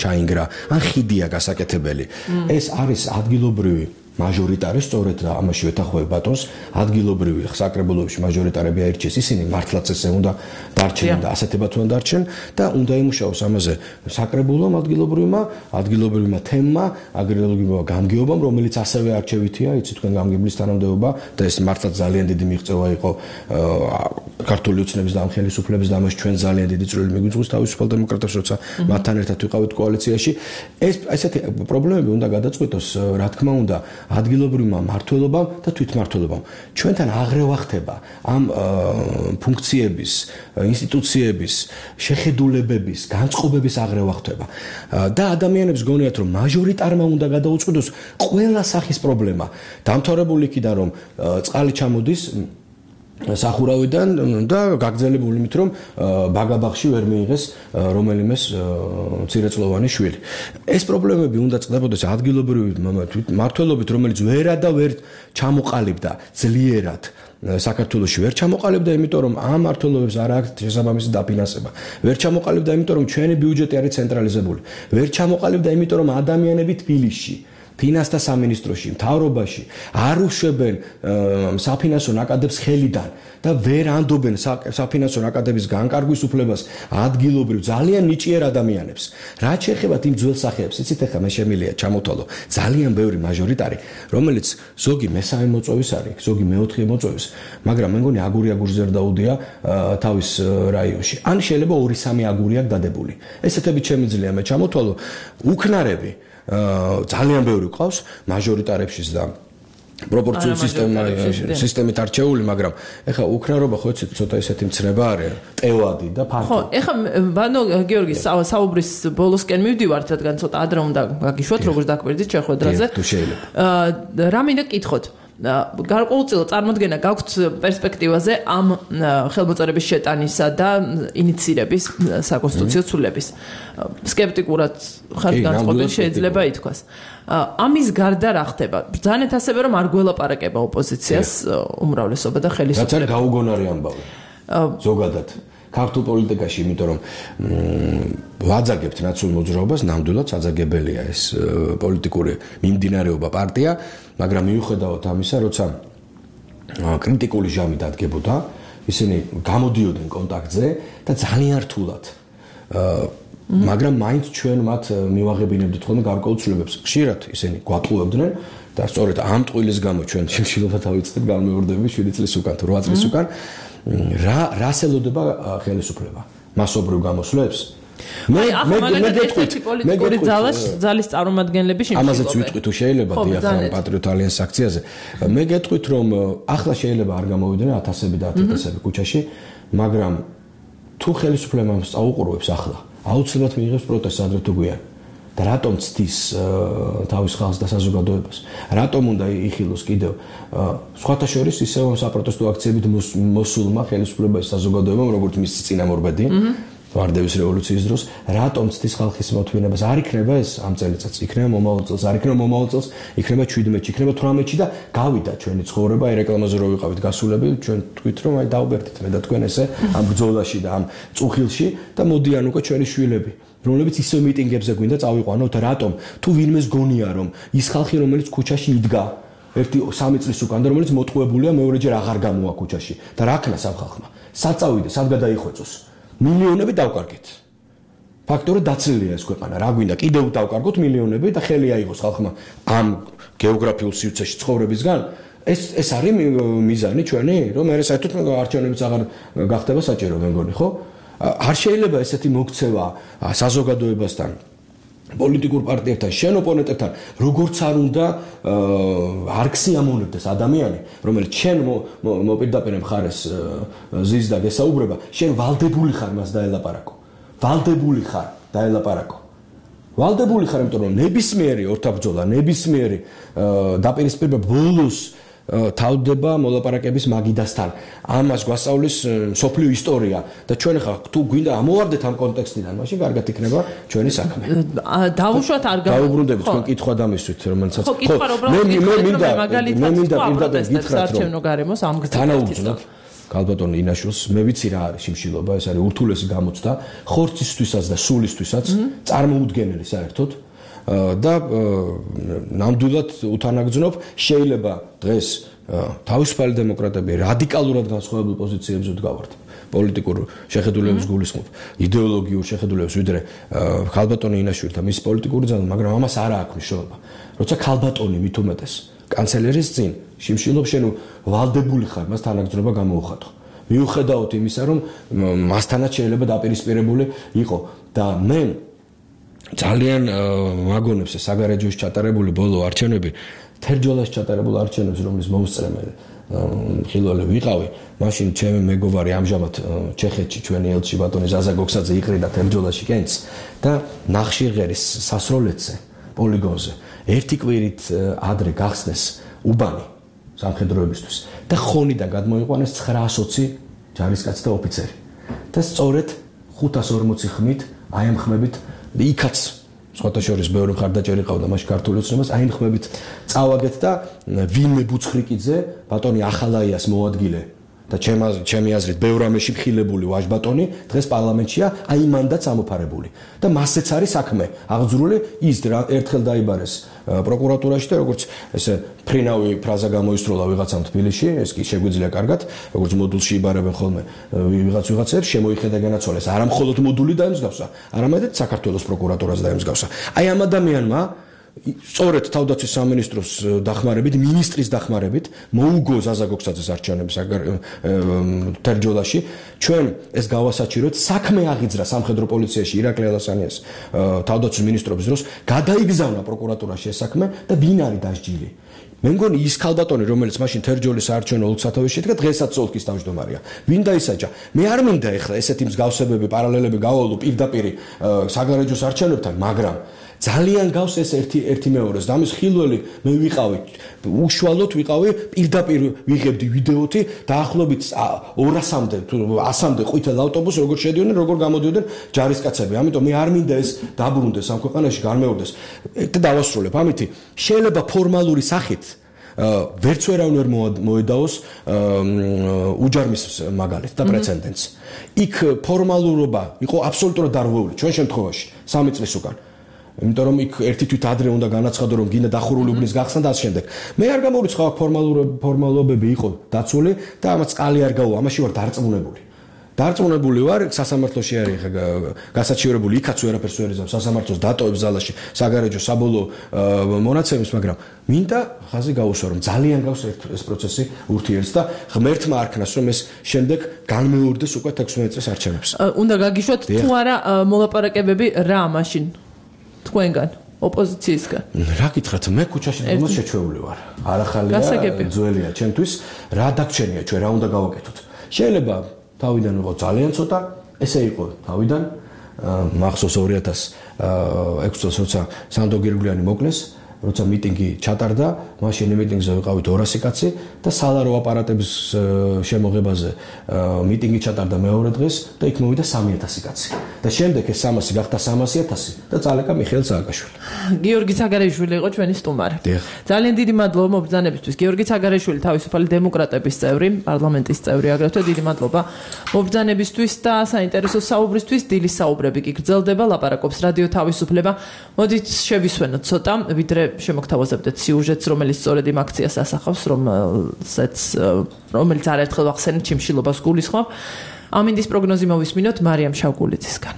ჩაინგრა, ან ხიდია გასაკეთებელი. ეს არის ადგილობრივი მაჟორიტარი, სწორედ რა ამაში ვეთანხმები ბატონს, ადგილობრივი საკრებულოებში მაჟორიტარები აირჩიეს, ისინი მართლაც ესე უნდა დარჩნენ და ასეთებად უნდა დარჩნენ და უნდა იმუშაოს ამაზე საკრებულომ ადგილობრივმა, ადგილობრივმა თემმა, აგრარულმა გამგეობამ, რომელიც ასევე არჩევითია, იცი თქვენ გამგებლის თანამდებობა და ეს მართლაც ძალიან დიდი მიღწევა იყო ქართული ოცნების და ამ ხელისუფლების და ამაში ჩვენ ძალიან დიდი წვლილი მიგვიწვევს თავისუფალ დემოკრატებს, როცა მათთან ერთად ვიყავით კოალიციაში. ეს ესეთი პრობლემები უნდა გადაწყვიტოს, რა თქმა უნდა, ადგილობრივმა მმართველობამ და თვითმმართველობამ. ჩვენთან აღრევა ხდება ამ ფუნქციების, ინსტიტუციების, შეხედულებების, განწყობების აღრევა ხდება. და ადამიანებს გონიათ, რომ მაჟორიტარმა უნდა გადაუწყვიტოს ყველა სახის პრობლემა. დამთავრებული იქიდან, რომ წყალი ჩამოდის სახურავიდან და გაგრძელებული მით რომ ბაგაბაღში ვერ მიიღეს რომელიმეს მცირეწლოვანი შვილი. ეს პრობლემები უნდა წყდებოდეს ადგილობრივი მმართველობით, რომელიც ვერა და ვერ ჩამოყალიბდა ძლიერად საქართველოში ვერ ჩამოყალიბდა, იმიტომ რომ ამ მმართველობებს არ აქვს შესაბამისი დაფინანსება. ვერ ჩამოყალიბდა, იმიტომ რომ ჩვენი ბიუჯეტი არის ცენტრალიზებული. ვერ ჩამოყალიბდა, იმიტომ რომ ადამიანები თბილისში ფინანსთა სამინისტროში, მთავრობაში არ უშვებენ საფინანსო ნაკადებს ხელიდან და ვერ ანდობენ საფინანსო ნაკადების განკარგვის უფლებას ადგილობრივ ძალიან ნიჭიერ ადამიანებს. რაც შეეხება იმ ძველ სახეებს, იცით ახლა მე შემიძლია ჩამოთვალო ძალიან ბევრი მაჟორიტარი, რომელიც ზოგი მესამე მოწვევის არის, ზოგი მეოთხე მოწვევის, მაგრამ მე მგონი აგური აგურზე არ დაუდია თავის რაიონში. ან შეიძლება ორი სამი აგური აქვს დადებული. ესეთები შემიძლია მე ჩამოთვალო უქნარები ძალიან ბევრი ყავს მაჟორიტარებშიც და პროპორციულ სისტემა სისტემით არჩეული, მაგრამ ეხა უქნარობა ხო იცით ცოტა ესეთი მცნება არის, ტევადი და ფართო. ხო, ეხა ბანო გიორგი საუბრის ბოლოსკენ მივდივართ, რადგან ცოტა ადრე უნდა გაგიშვათ, როგორც დაკვირდით შეხვედრაზე. თუ შეიძლება. რა მინდა გკითხოთ? გარკვეულწილად წარმოდგენა გაქვთ პერსპექტივაზე ამ ხელმოწერების შეტანისა და ინიცირების საკონსტიტუციო ცვლილების. სკეპტიკურად ხართ განწყობილი შეიძლება ითქვას. ამის გარდა რა ხდება? ბრძანეთ ასევე რომ არ გველაპარაკება ოპოზიციას უმრავლესობა და ხელისუფლება. რაც არის გაუგონარი ამბავი. ზოგადად ქართულ პოლიტიკაში, იმიტომ რომ ვაძაგებთ ნაციურ მოძრაობას, ნამდვილად საძაგებელია ეს პოლიტიკური მიმდინარეობა პარტია, მაგრამ მიუხედავად ამისა, როცა კრიტიკული ჟამი დადგებოდა, ისინი გამოდიოდნენ კონტაქტზე და ძალიან რთულად მაგრამ მაინც ჩვენ მათ მივაღებინებდით ხოლმე გარკვეულ ცვლილებებს. ხშირად ისინი გვატყუებდნენ და სწორედ ამ ტყუილის გამო ჩვენ შიმშილობა დავიწყეთ განმეორდები შვიდი წლის უკან თუ რვა წლის უკან რა რას ელოდება ხელისუფლება მასობრივ გამოსვლებს მე მე მე გეტყვით პოლიტიკური ძალას ძალის წარმომადგენლები შიმშილობენ ამაზეც ვიტყვი თუ შეიძლება დიახან პატრიოტ ალიანსის აქციაზე მე გეტყვით რომ ახლა შეიძლება არ გამოვიდნენ ათასები და ათასები ქუჩაში მაგრამ თუ ხელისუფლებამ სწაუყურებს ახლა აუცილებლად მიიღებს პროტესტს ადრე თუ გვიან და რატომ ცდის თავის ხალხს და საზოგადოებას რატომ უნდა იხილოს კიდევ სხვათა შორის ისევ საპროტესტო აქციებით მოსულმა ხელისუფლებაში საზოგადოებამ როგორც მისი წინამორბედი ვარდევის რევოლუციის დროს რატომ ცდის ხალხის მოთმინებას არ იქნება ეს ამ წელიწადს იქნება მომავალ წელს არ იქნება მომავალ წელს იქნება შვიდმეტში იქნება თვრამეტში და გავიდა ჩვენი ცხოვრება აი რეკლამაზე რო ვიყავით გასულები ჩვენ თქვით რომ აი დაუბერდით მე და თქვენ ესე ამ ბრძოლაში და ამ წუხილში და მოდიან უკვე ჩვენი შვილები რომლებიც ისევ მიტინგებზე გვინდა წავიყვანოთ რატომ თუ ვინმეს გონია რომ ის ხალხი რომელიც ქუჩაში იდგა ერთი სამი წლის უკან და რომელიც მოტყუებულია მეორეჯერ აღარ გამოვა ქუჩაში და რა ქნა სამ ხალხმა საწავიდა სად გადაიხვეწოს მილიონები დავკარგეთ. ფაქტობრივად დაცლილია ეს ქვეყანა. რა გვინდა კიდევ დავკარგოთ მილიონები და ხელი აიღოს ხალხმა ამ გეოგრაფიულ სივრცეში ცხოვრებისგან. ეს ეს არის მიზანი ჩვენი, რომ მე საერთოდ არჩევნებიც აღარ გახდება საჭირო მე მგონი, ხო? არ შეიძლება ესეთი მოქცევა საზოგადოებასთან პოლიტიკურ პარტიებთან, შენ ოპონენტებთან, როგორც არ უნდა არ ქსიამოვნებდეს ადამიანი, რომელიც შენ მოპირდაპირე მხარეს ზის და გესაუბრება, შენ ვალდებული ხარ მას დაელაპარაკო. ვალდებული ხარ დაელაპარაკო. ვალდებული ხარ, იმიტომ რომ ნებისმიერი ორთაბრძოლა, ნებისმიერი დაპირისპირება ბოლოს თავდება მოლაპარაკების მაგიდასთან. ამას გვასწავლის სოფლიო ისტორია და ჩვენ ხა თუ გვინდა ამოვარდეთ ამ კონტექსტიდან, მაშინ კარგად იქნება ჩვენი საქმე. დავუშვათ არ გავა. დაუბრუნდებით თქვენ კითხვა დამისვით, რომელსაც ხო, კითხვა რომ მე მე მინდა მაგალითად მინდა პირდაპირ გითხრათ რომ არჩევნო გარემოს ამ გზით თანაუგზნობ ქალბატონ ინაშვილს მე ვიცი რა არის შიმშილობა, ეს არის ურთულესი გამოცდა ხორცისთვისაც და სულისთვისაც წარმოუდგენელი საერთოდ და ნამდვილად უთანაგრძნობ შეიძლება დღეს თავისუფალი დემოკრატები რადიკალურად განსხვავებულ პოზიციებზე დგავართ პოლიტიკურ შეხედულების გულისხმობ იდეოლოგიურ შეხედულებას ვიდრე ქალბატონი ინაშვილი და მის პოლიტიკური ძალა მაგრამ ამას არ აქვს მნიშვნელობა როცა ქალბატონი მით უმეტეს კანცელერის წინ შიმშილობს შენ ვალდებული ხარ მას თანაგრძნობა გამოუხატო მიუხედავად იმისა რომ მასთანაც შეიძლება დაპირისპირებული იყო და მე ძალიან მაგონებს საგარეჯოში ჩატარებული ბოლო არჩევნები თერჯოლაში ჩატარებულ არჩევნებს რომლის მომსწრემელი ხილველი ვიყავი მაშინ ჩემი მეგობარი ამჟამად ჩეხეთში ჩვენი ელჩი ბატონი ზაზა გოქსაძე იყრიდა თერჯოლაში კენც და ნახშირღერის სასროლეთზე პოლიგონზე ერთი კვირით ადრე გახსნეს უბანი სამხედროებისთვის და ხონიდან გადმოიყვანეს ცხრაას ოცი ჯარისკაცი და ოფიცერი და სწორედ ხუთას ორმოცი ხმით აემხმებით იქაც სხვათა შორის ბევრი მხარდაჭერი ყავდა მაშინ ქართული ოცნებას აი ხმებით წავაგეთ და ვინმე ბუცხრიკიძე ბატონი ახალაიას მოადგილე და ჩემი აზრით ბევრამეში მხილებული ვაჟბატონი დღეს პარლამენტშია აი მანდაც ამოფარებული და მასეც არის საქმე აღძრული ის ერთხელ დაიბარეს პროკურატურაში და როგორც ესე ფრინავი ფრაზა გამოისროლა ვიღაცამ თბილისში ეს კი შეგვიძლია კარგად როგორც მოდულში იბარებენ ხოლმე ვიღაც ვიღაცებს შემოიხედა განაცვალეს არა მხოლოდ მოდული დაემსგავსა არამედ საქართველოს პროკურატურას დაემსგავსა აი ამ ადამიანმა სწორედ თავდაცვის სამინისტროს დახმარებით, მინისტრის დახმარებით მოუგო ზაზა გოქსაძეს არჩევნების თერჯოლაში ჩვენ ეს გავასაჭიროთ საქმე აღიძრა სამხედრო პოლიციაში ირაკლი ალასანიას თავდაცვის მინისტრობის დროს გადაიგზავნა პროკურატურაში ეს საქმე და ვინ არის დასჯილი მე მგონი ის ქალბატონი რომელიც მაშინ თერჯოლის საარჩევნო ოლქსათავეში შედგა დღესაც ოლქის თავმჯდომარეა ვინ დაისაჯა მე არ მინდა ეხლა ესეთი მსგავსებები პარალელები გავალო პირდაპირ საგარეჯოს არჩევნებთან მაგრამ ძალიან გავს ეს ერთი ერთი მეორეს და ამის ხილველი მე ვიყავი უშუალოდ ვიყავი პირდაპირ ვიღებდი ვიდეოთი დაახლოებით ორასამდე თუ ასამდე ყვითელ ავტობუსს როგორ შედიოდნენ როგორ გამოდიოდნენ ჯარისკაცები ამიტომ მე არ მინდა ეს დაბრუნდეს ამ ქვეყანაში განმეორდეს და დავასრულებ ამითი შეიძლება ფორმალური სახით ვერც ვერავინ ვერ მოედაოს უჯარმის მაგალითს და პრეცედენტს. იქ ფორმალურობა იყო აბსოლუტურად დარღვეული ჩვენ შემთხვევაში სამი წლის უკან. იმიტომ რომ იქ ერთი თვით ადრე უნდა განაცხადო რომ გინდა დახურული უბნის გახსნა და ამ შემდეგ. მე არ გამოვიწყო აქ ფორმალობები იყო დაცული და ამაც წყალი არ გაუვა, ამაში ვარ დარწმუნებული. დარწმუნებული ვარ, სასამართლოში არის გასაჩივრებული, იქაც ვერაფერს ვერ იზამს, სასამართლოს დატოვებს ზალაში საგარეჯო საბოლოო მონაცემებს, მაგრამ მინდა ხაზი გაუსვა რომ ძალიან გავს ეს პროცესი ურთიერთს და ღმერთმა არქნას რომ ეს შემდეგ განმეორდეს უკვე თექვსმეტ წელს არჩევნებს. უნდა გაგიშვათ თუ არა მოლაპარაკებები რა მაშინ თქვენგან ოპოზიციისგან. რა გითხრათ, მე ქუჩაში დაგმოს შეჩვეული ვარ. არახალია ძველია ჩემთვის, რა დაგჩენია ჩვენ, რა უნდა გავაკეთოთ. შეიძლება თავიდან იყო ძალიან ცოტა, ესე იყო თავიდან. მახსოვს ორი ათას ექვსი წელს როცა სანდო გირგვლიანი მოკლეს, როცა მიტინგი ჩატარდა, მაშინ მიტინგზე ვიყავით ორასი კაცი და სალარო აპარატების შემოღებაზე მიტინგი ჩატარდა მეორე დღეს და იქ მოვიდა სამი ათასი კაცი. და შემდეგ ეს სამასი გახდა სამასი ათასი და წალეკა მიხეილ სააკაშვილი. გიორგი ცაგარეიშვილი იყო ჩვენი სტუმარი. ძალიან დიდი მადლობა მობრძანებისთვის. გიორგი ცაგარეიშვილი თავისუფალი დემოკრატების წევრი, პარლამენტის წევრი, აგრეთვე დიდი მადლობა მობრძანებისთვის და საინტერესო საუბრისთვის. დილის საუბრები კი გრძელდება, ლაპარაკობს რადიო თავისუფლება. მოდით შევისვენოთ ცოტა, ვიდრე შემოგთავაზებდეთ სიუჟეტს, რომელიც სწორედ იმ აქციას ასახავს, რომელსაც რომელიც არაერთხელ ვახსენეთ ჩიმშილობას გულისხმობ. ამინდის პროგნოზი მოვისმინოთ მარიამ შავგულიძისგან.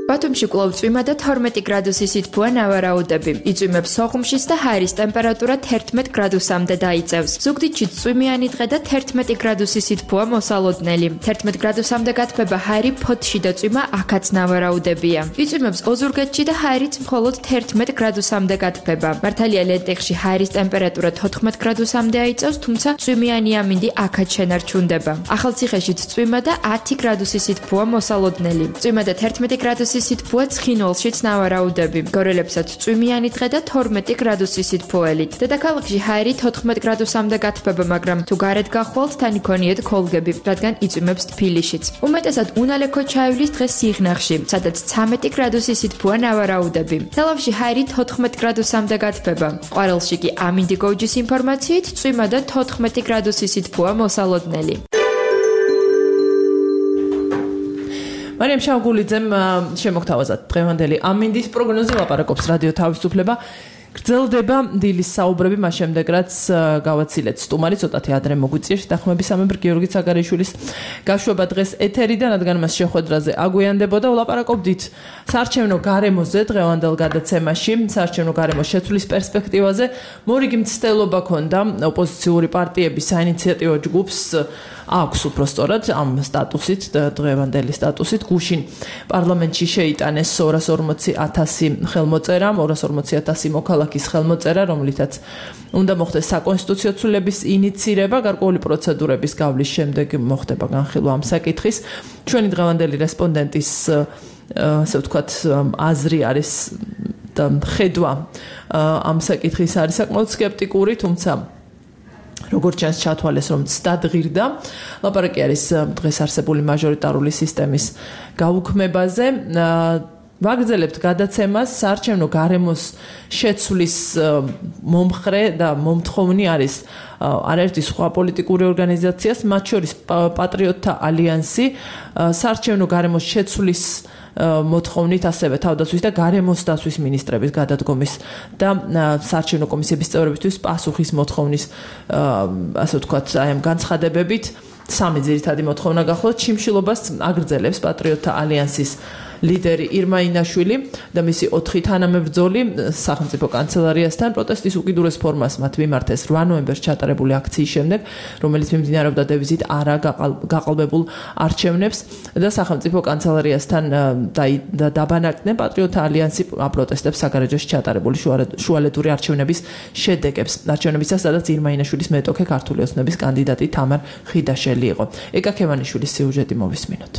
ბათუმში კვლავ წვიმა და თორმეტი გრადუსი სითბოა ნავარაუდები. იწვიმებს სოხუმშიც და ჰაერის ტემპერატურა თერთმეტ გრადუსამდე დაიწევს. ზუგდიდში წვიმიანი დღე და თერთმეტი გრადუსი სითბოა მოსალოდნელი. თერთმეტ გრადუსამდე გათბება ჰაერი ფოთში და წვიმა აქაც ნავარაუდებია. იწვიმებს ოზურგეთში და ჰაერიც მხოლოდ თერთმეტ გრადუსამდე გათბება. მართალია ლენტეხში ჰაერის ტემპერატურა თოთხმეტ გრადუსამდე აიწევს, თუმცა წვიმიანი ამინდი აქაც შენარჩუნდება. ახალციხეშიც წვიმა და ათი გრადუსი სითბოა მოსალოდნელი. წვიმა და თერთმეტი გრადუსი სითბოა ცხინვალშიც ნავარაუდები. გორელებსაც წვიმიანი დღე და თორმეტი გრადუსი სითბოელით. დედაქალაქში ჰაერი თოთხმეტ გრადუსამდე გათბება, მაგრამ თუ გარეთ გახვალთ, თან იქონიეთ ქოლგები, რადგან იწვიმებს თბილისშიც. უმეტესად უნალექო ჩაივლის დღეს სიღნაღში, სადაც ცამეტი გრადუსი სითბოა ნავარაუდები. თელავში ჰაერი თოთხმეტ გრადუსამდე გათბება. ყვარელში კი ამინდი გოჯის ინფორმაციით წვიმა და თოთხმეტი გრადუსი სითბოა მოსალოდნელი. მარიამ შავგულიძემ შემოგთავაზა დღევანდელი ამინდის პროგნოზი, ლაპარაკობს რადიო თავისუფლება. გრძელდება დილის საუბრები, მას შემდეგ რაც გავაცილეთ სტუმარი, ცოტათი ადრე მოგვიწია შეთანხმებისამებრ გიორგი ცაგარეიშვილის გაშვება დღეს ეთერიდან, რადგან მას შეხვედრაზე აგვიანდებოდა. ვლაპარაკობდით საარჩევნო გარემოზე დღევანდელ გადაცემაში, საარჩევნო გარემოს შეცვლის პერსპექტივაზე. მორიგი მცდელობა ქონდა ოპოზიციური პარტიების საინიციატივო ჯგუფს აქვს უბრალოდ ამ სტატუსით, დღევანდელი სტატუსით გუშინ პარლამენტში შეიტანეს ორას ორმოცი ათასი ხელმოწერა, ორას ორმოცი ათასი მოქალაქის ხელმოწერა, რომლითაც უნდა მოხდეს საკონსტიტუციო ცვლილების ინიცირება, გარკვეული პროცედურების გავლის შემდეგ მოხდება განხილვა ამ საკითხის. ჩვენი დღევანდელი რესპონდენტის ასე ვთქვათ აზრი არის და ხედვა ამ საკითხის არის საკმაოდ სკეპტიკური, თუმცა როგორც ჩანს ჩათვალეს რომ ცდად ღირდა. ლაპარაკი არის დღეს არსებული მაჟორიტარული სისტემის გაუქმებაზე. ვაგრძელებთ გადაცემას. საარჩევნო გარემოს შეცვლის მომხრე და მომთხოვნი არის არაერთი სხვა პოლიტიკური ორგანიზაციას, მათ შორის პატრიოტთა ალიანსი. საარჩევნო გარემოს შეცვლის მოთხოვნით ასევე თავდაცვის და გარემოს დაცვის მინისტრების გადადგომის და საარჩევნო კომისიების წევრებისთვის პასუხის მოთხოვნის ასე ვთქვათ აი ამ განცხადებებით სამი ძირითადი მოთხოვნა გახლავთ. ჩიმშილობას აგრძელებს პატრიოტთა ალიანსის ლიდერი ირმა ინაშვილი და მისი ოთხი თანამებრძოლი სახელმწიფო კანცელარიასთან პროტესტის უკიდურეს ფორმას მათ მიმართეს რვა ნოემბერს ჩატარებული აქციის შემდეგ, რომელიც მიმდინარეობდა დევიზით არა გაყალბებულ არჩევნებს და სახელმწიფო კანცელარიასთან დაბანაკდნენ პატრიოტთა ალიანსი აპროტესტებს საგარეჯოში ჩატარებული შუალედური არჩევნების შედეგებს. არჩევნებისას სადაც ირმა ინაშვილის მეტოქე ქართული ოცნების კანდიდატი თამარ ხიდაშელი იყო. ეკა ქევანიშვილის სიუჟეტი მოვისმინოთ.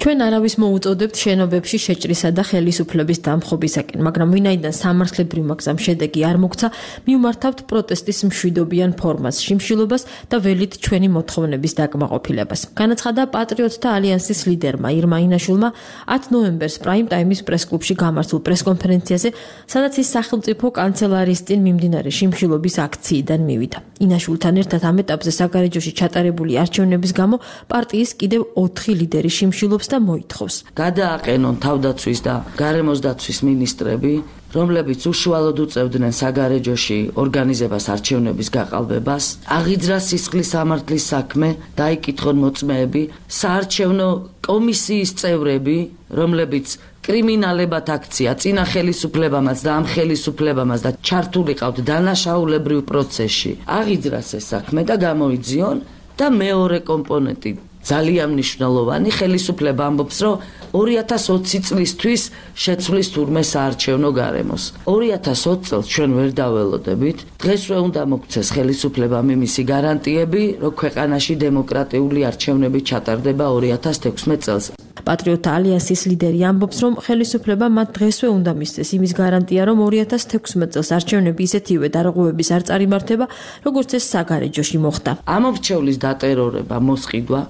ჩვენ არავის მოუწოდებთ შენობებში შეჭრისა და ხელისუფლების დამხობისაკენ, მაგრამ ვინაიდან სამართლებრივ მაგზამ შედეგი არ მოგცა, მივმართავთ პროტესტის მშვიდობიან ფორმას, შიმშილობას და ველით ჩვენი მოთხოვნების დაკმაყოფილებას. განაცხადა პატრიოტთა ალიანსის ლიდერმა ირმა ინაშვილმა ათი ნოემბერს პრაიმ ტაიმის პრესკლუბში გამართულ პრესკონფერენციაზე, სადაც ის სახელმწიფო კანცელარიის წინ მიმდინარე შიმშილობის აქციიდან მივიდა. ინაშვილთან ერთად ამ ეტაპზე საგარეჯოში ჩატარებული არჩევნების გამო პარტიის კიდევ ოთხი ლიდერი შიმშილობს და მოითხოვს. გადააყენონ თავდაცვის და გარემოს დაცვის მინისტრები, რომლებიც უშუალოდ უწევდნენ საგარეჯოში ორგანიზებას არჩევნების გაყალბებას, აღიძრა სისხლის სამართლის საქმე, დაიკითხონ მოწმეები, საარჩევნო კომისიის წევრები, რომლებიც კრიმინალებად აქცია წინა ხელისუფლებამაც და ამ ხელისუფლებამაც და ჩართულიყავთ დანაშაულებრივ პროცესში, აღიძრას ეს საქმე და გამოიძიონ და მეორე კომპონენტი ძალიან მნიშვნელოვანი ხელისუფლება ამბობს, რომ ორი ათას ოცი წლისთვის შეცვლის თურმე საარჩევნო გარემოს. ორი ათას ოცი წელს ჩვენ ვერ დაველოდებით. დღესვე უნდა მოგცეს ხელისუფლებამ იმისი გარანტიები, რომ ქვეყანაში დემოკრატიული არჩევნები ჩატარდება ორი ათას თექვსმეტ წელს. პატრიოტთა ალიანსის ლიდერი ამბობს, რომ ხელისუფლება მათ დღესვე უნდა მისცეს იმის გარანტია, რომ ორი ათას თექვსმეტ წელს არჩევნები ისეთივე დარღვევების არ წარიმართება, როგორც ეს საგარეჯოში მოხდა. ამორჩევლის დატერორება, მოსყიდვა,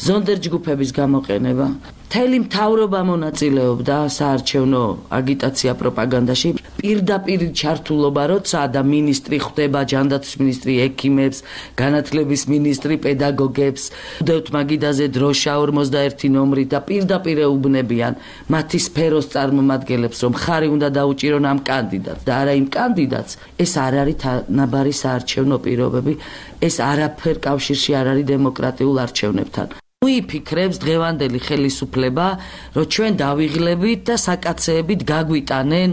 ზონდერჯგუფების გამოყენება, მთელი მთავრობა მონაწილეობდა საარჩევნო აგიტაცია პროპაგანდაში, პირდაპირ ჩართულობა, როცა და მინისტრი ხვდება, ჯანდაცვის მინისტრი ექიმებს, განათლების მინისტრი პედაგოგებს, უდევთ მაგიდაზე დროშა ორმოცდაერთი ნომრით და პირდაპირ ეუბნებიან მათი სფეროს წარმომადგენლებს, რომ ხარი უნდა დაუჭირონ ამ კანდიდატს და არა იმ კანდიდატს. ეს არ არის თანაბარი საარჩევნო პირობები, ეს არაფერ კავშირში არ არის დემოკრატიულ არჩევნებთან. მოიფიქრებს დღევანდელი ხელისუფლება, რომ ჩვენ დავიღლებით და საკაცეებით გაგვიტანენ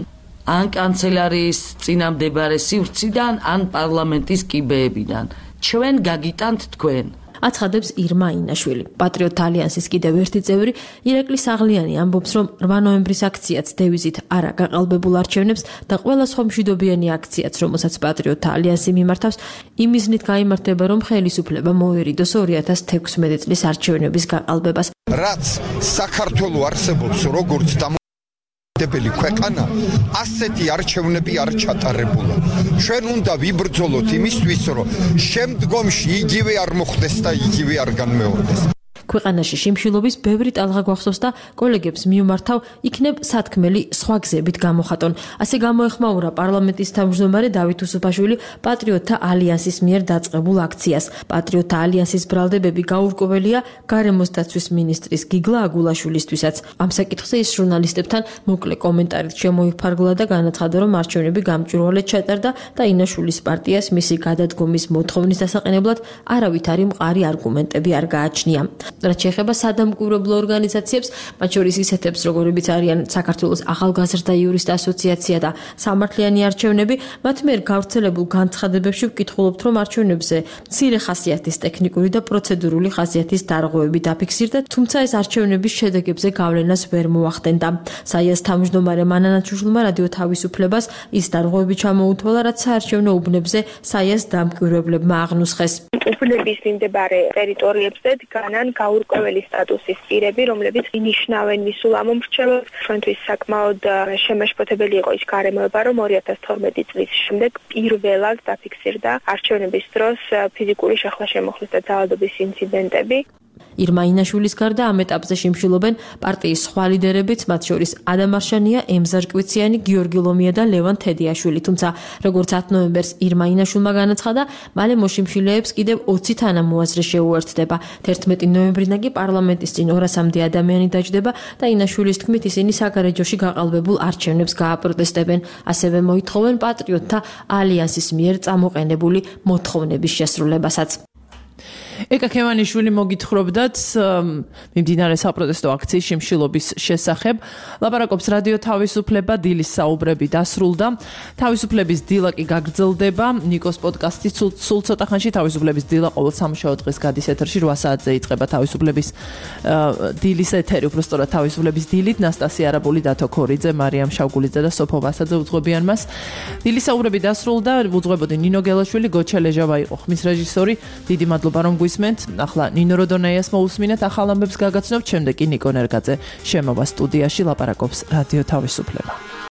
ან კანცელარიის წინამდებარე სივრციდან, ან პარლამენტის კიბეებიდან. ჩვენ გაგიტანთ თქვენ. აცხადებს ირმა ინაშვილი. პატრიოტთა ალიანსის კიდევ ერთი წევრი ირაკლი საღლიანი ამბობს, რომ რვა ნოემბრის აქციაც დევიზით არა გაყალბებულ არჩევნებს და ყველა სხვა მშვიდობიანი აქციაც, რომელსაც პატრიოტთა ალიანსი მიმართავს, იმ მიზნით გაიმართება, რომ ხელისუფლება მოერიდოს ორი ათას თექვსმეტ წლის არჩევნების გაყალბებას. რაც საქართველოს არსებობს როგორც დემოკრატიული ქვეყანა, ასეთი არჩევნები არ ჩატარებულა. ჩვენ უნდა ვიბრძოლოთ იმისთვის, რომ შემდგომში იგივე არ მოხდეს და იგივე არ განმეორდეს. ქვეყანაში შიმშილობის ბევრი ტალღა გვახსოვს და კოლეგებს მიუმართავ, იქნებ სათქმელი სხვა გზებით გამოხატონ. ასე გამოეხმაურა პარლამენტის თავმჯდომარე დავით უსუფაშვილი პატრიოტთა ალიანსის მიერ დაწყებულ აქციას. პატრიოტთა ალიანსის ბრალდებები გაურკვეველია გარემოს დაცვის მინისტრის გიგლა აგულაშვილისთვისაც. ამ საკითხზე ის ჟურნალისტებთან მოკლე კომენტარით შემოიფარგლა და განაცხადა, რომ არჩევნები გამჭვირვალედ ჩატარდა და ინაშვილის პარტიას მისი გადადგომის მოთხოვნის დასაყენებლად არავითარი მყარი არგუმენტები არ გააჩნია. რაც შეეხება სადამკვირვებლო ორგანიზაციებს, მათ შორის ისეთებს, როგორებიც არიან საქართველოს ახალგაზრდა იურისტთა ასოციაცია და სამართლიანი არჩევნები, მათ მიერ გავრცელებულ განცხადებებში ვკითხულობთ, რომ არჩევნებზე მცირე ხასიათის ტექნიკური და პროცედურული ხასიათის დარღვევები დაფიქსირდა, თუმცა ეს არჩევნების შედეგებზე გავლენას ვერ მოახდენდა. საიას თავმჯდომარე მანანა ჩუშლმა რადიო თავისუფლებას ის დარღვევები ჩამოუთვალა, რაც საარჩევნო უბნებზე საიას დამკვირვებლებმა აღნუსხეს. უბნების მიმდებარე ტერიტორიებზე დგანან გაურკვეველი სტატუსის პირები, რომლებიც ინიშნავენ მისულ ამომრჩევლად. ჩვენთვის საკმაოდ შემაშფოთებელი იყო ის გარემოება, რომ ორი ათას თორმეტი წლის შემდეგ პირველად დაფიქსირდა არჩევნების დროს ფიზიკური შეხლა-შემოხლის და ძალადობის ინციდენტები. ირმა ინაშვილის გარდა ამ ეტაპზე შიმშილობენ პარტიის სხვა ლიდერებიც, მათ შორის ადამ არშანია, ემზარ კვიციანი, გიორგი ლომია და ლევან თედიაშვილი. თუმცა, როგორც ათი ნოემბერს ირმა ინაშვილმა განაცხადა, მალე მოშიმშილეებს კიდევ ოცი თანამოაზრე შეუერთდება. თერთმეტი ნოემბრიდან კი პარლამენტის წინ ორასამდე ადამიანი დაჯდება და ინაშვილის თქმით ისინი საგარეჯოში გაყალბებულ არჩევნებს გააპროტესტებენ. ასევე მოითხოვენ პატრიოტთა ალიანსის მიერ წამოყენებული მოთხოვნების შესრულებასაც. ეკა ქემანიშვილი მოგითხრობდათ მიმდინარე საპროტესტო აქციის შიმშილობის შესახებ. ლაპარაკობს რადიო თავისუფლება, დილის საუბრები დასრულდა. თავისუფლების დილა კი გაგრძელდება. ნიკოს პოდკასტი სულ ცოტა ხანში თავისუფლების დილა ყოველ სამუშაო დღეს გადის ეთერში რვა საათზე იწყება თავისუფლების დილის ეთერი, უბრალოდ თავისუფლების დილით. ნასტასია არაბული, დათო ქორიძე, მარიამ შავგულიძე და სოფო ვასაძე უძღვებიან მას. დილის საუბრები დასრულდა. უძღვებოდი ნინო გელაშვილი, გოჩა ლეჟავა იყო ხმის რეჟისორი. დიდი მადლობა რომ მოგისმენთ. ახლა ნინო როდონეიას მოусმინეთ ახალ ამბებს გაგაცნობთ, შემდეგ კი ნიკო ნერგაძე შემოვა სტუდიაში ლაპარაკობს რადიო თავისუფლება.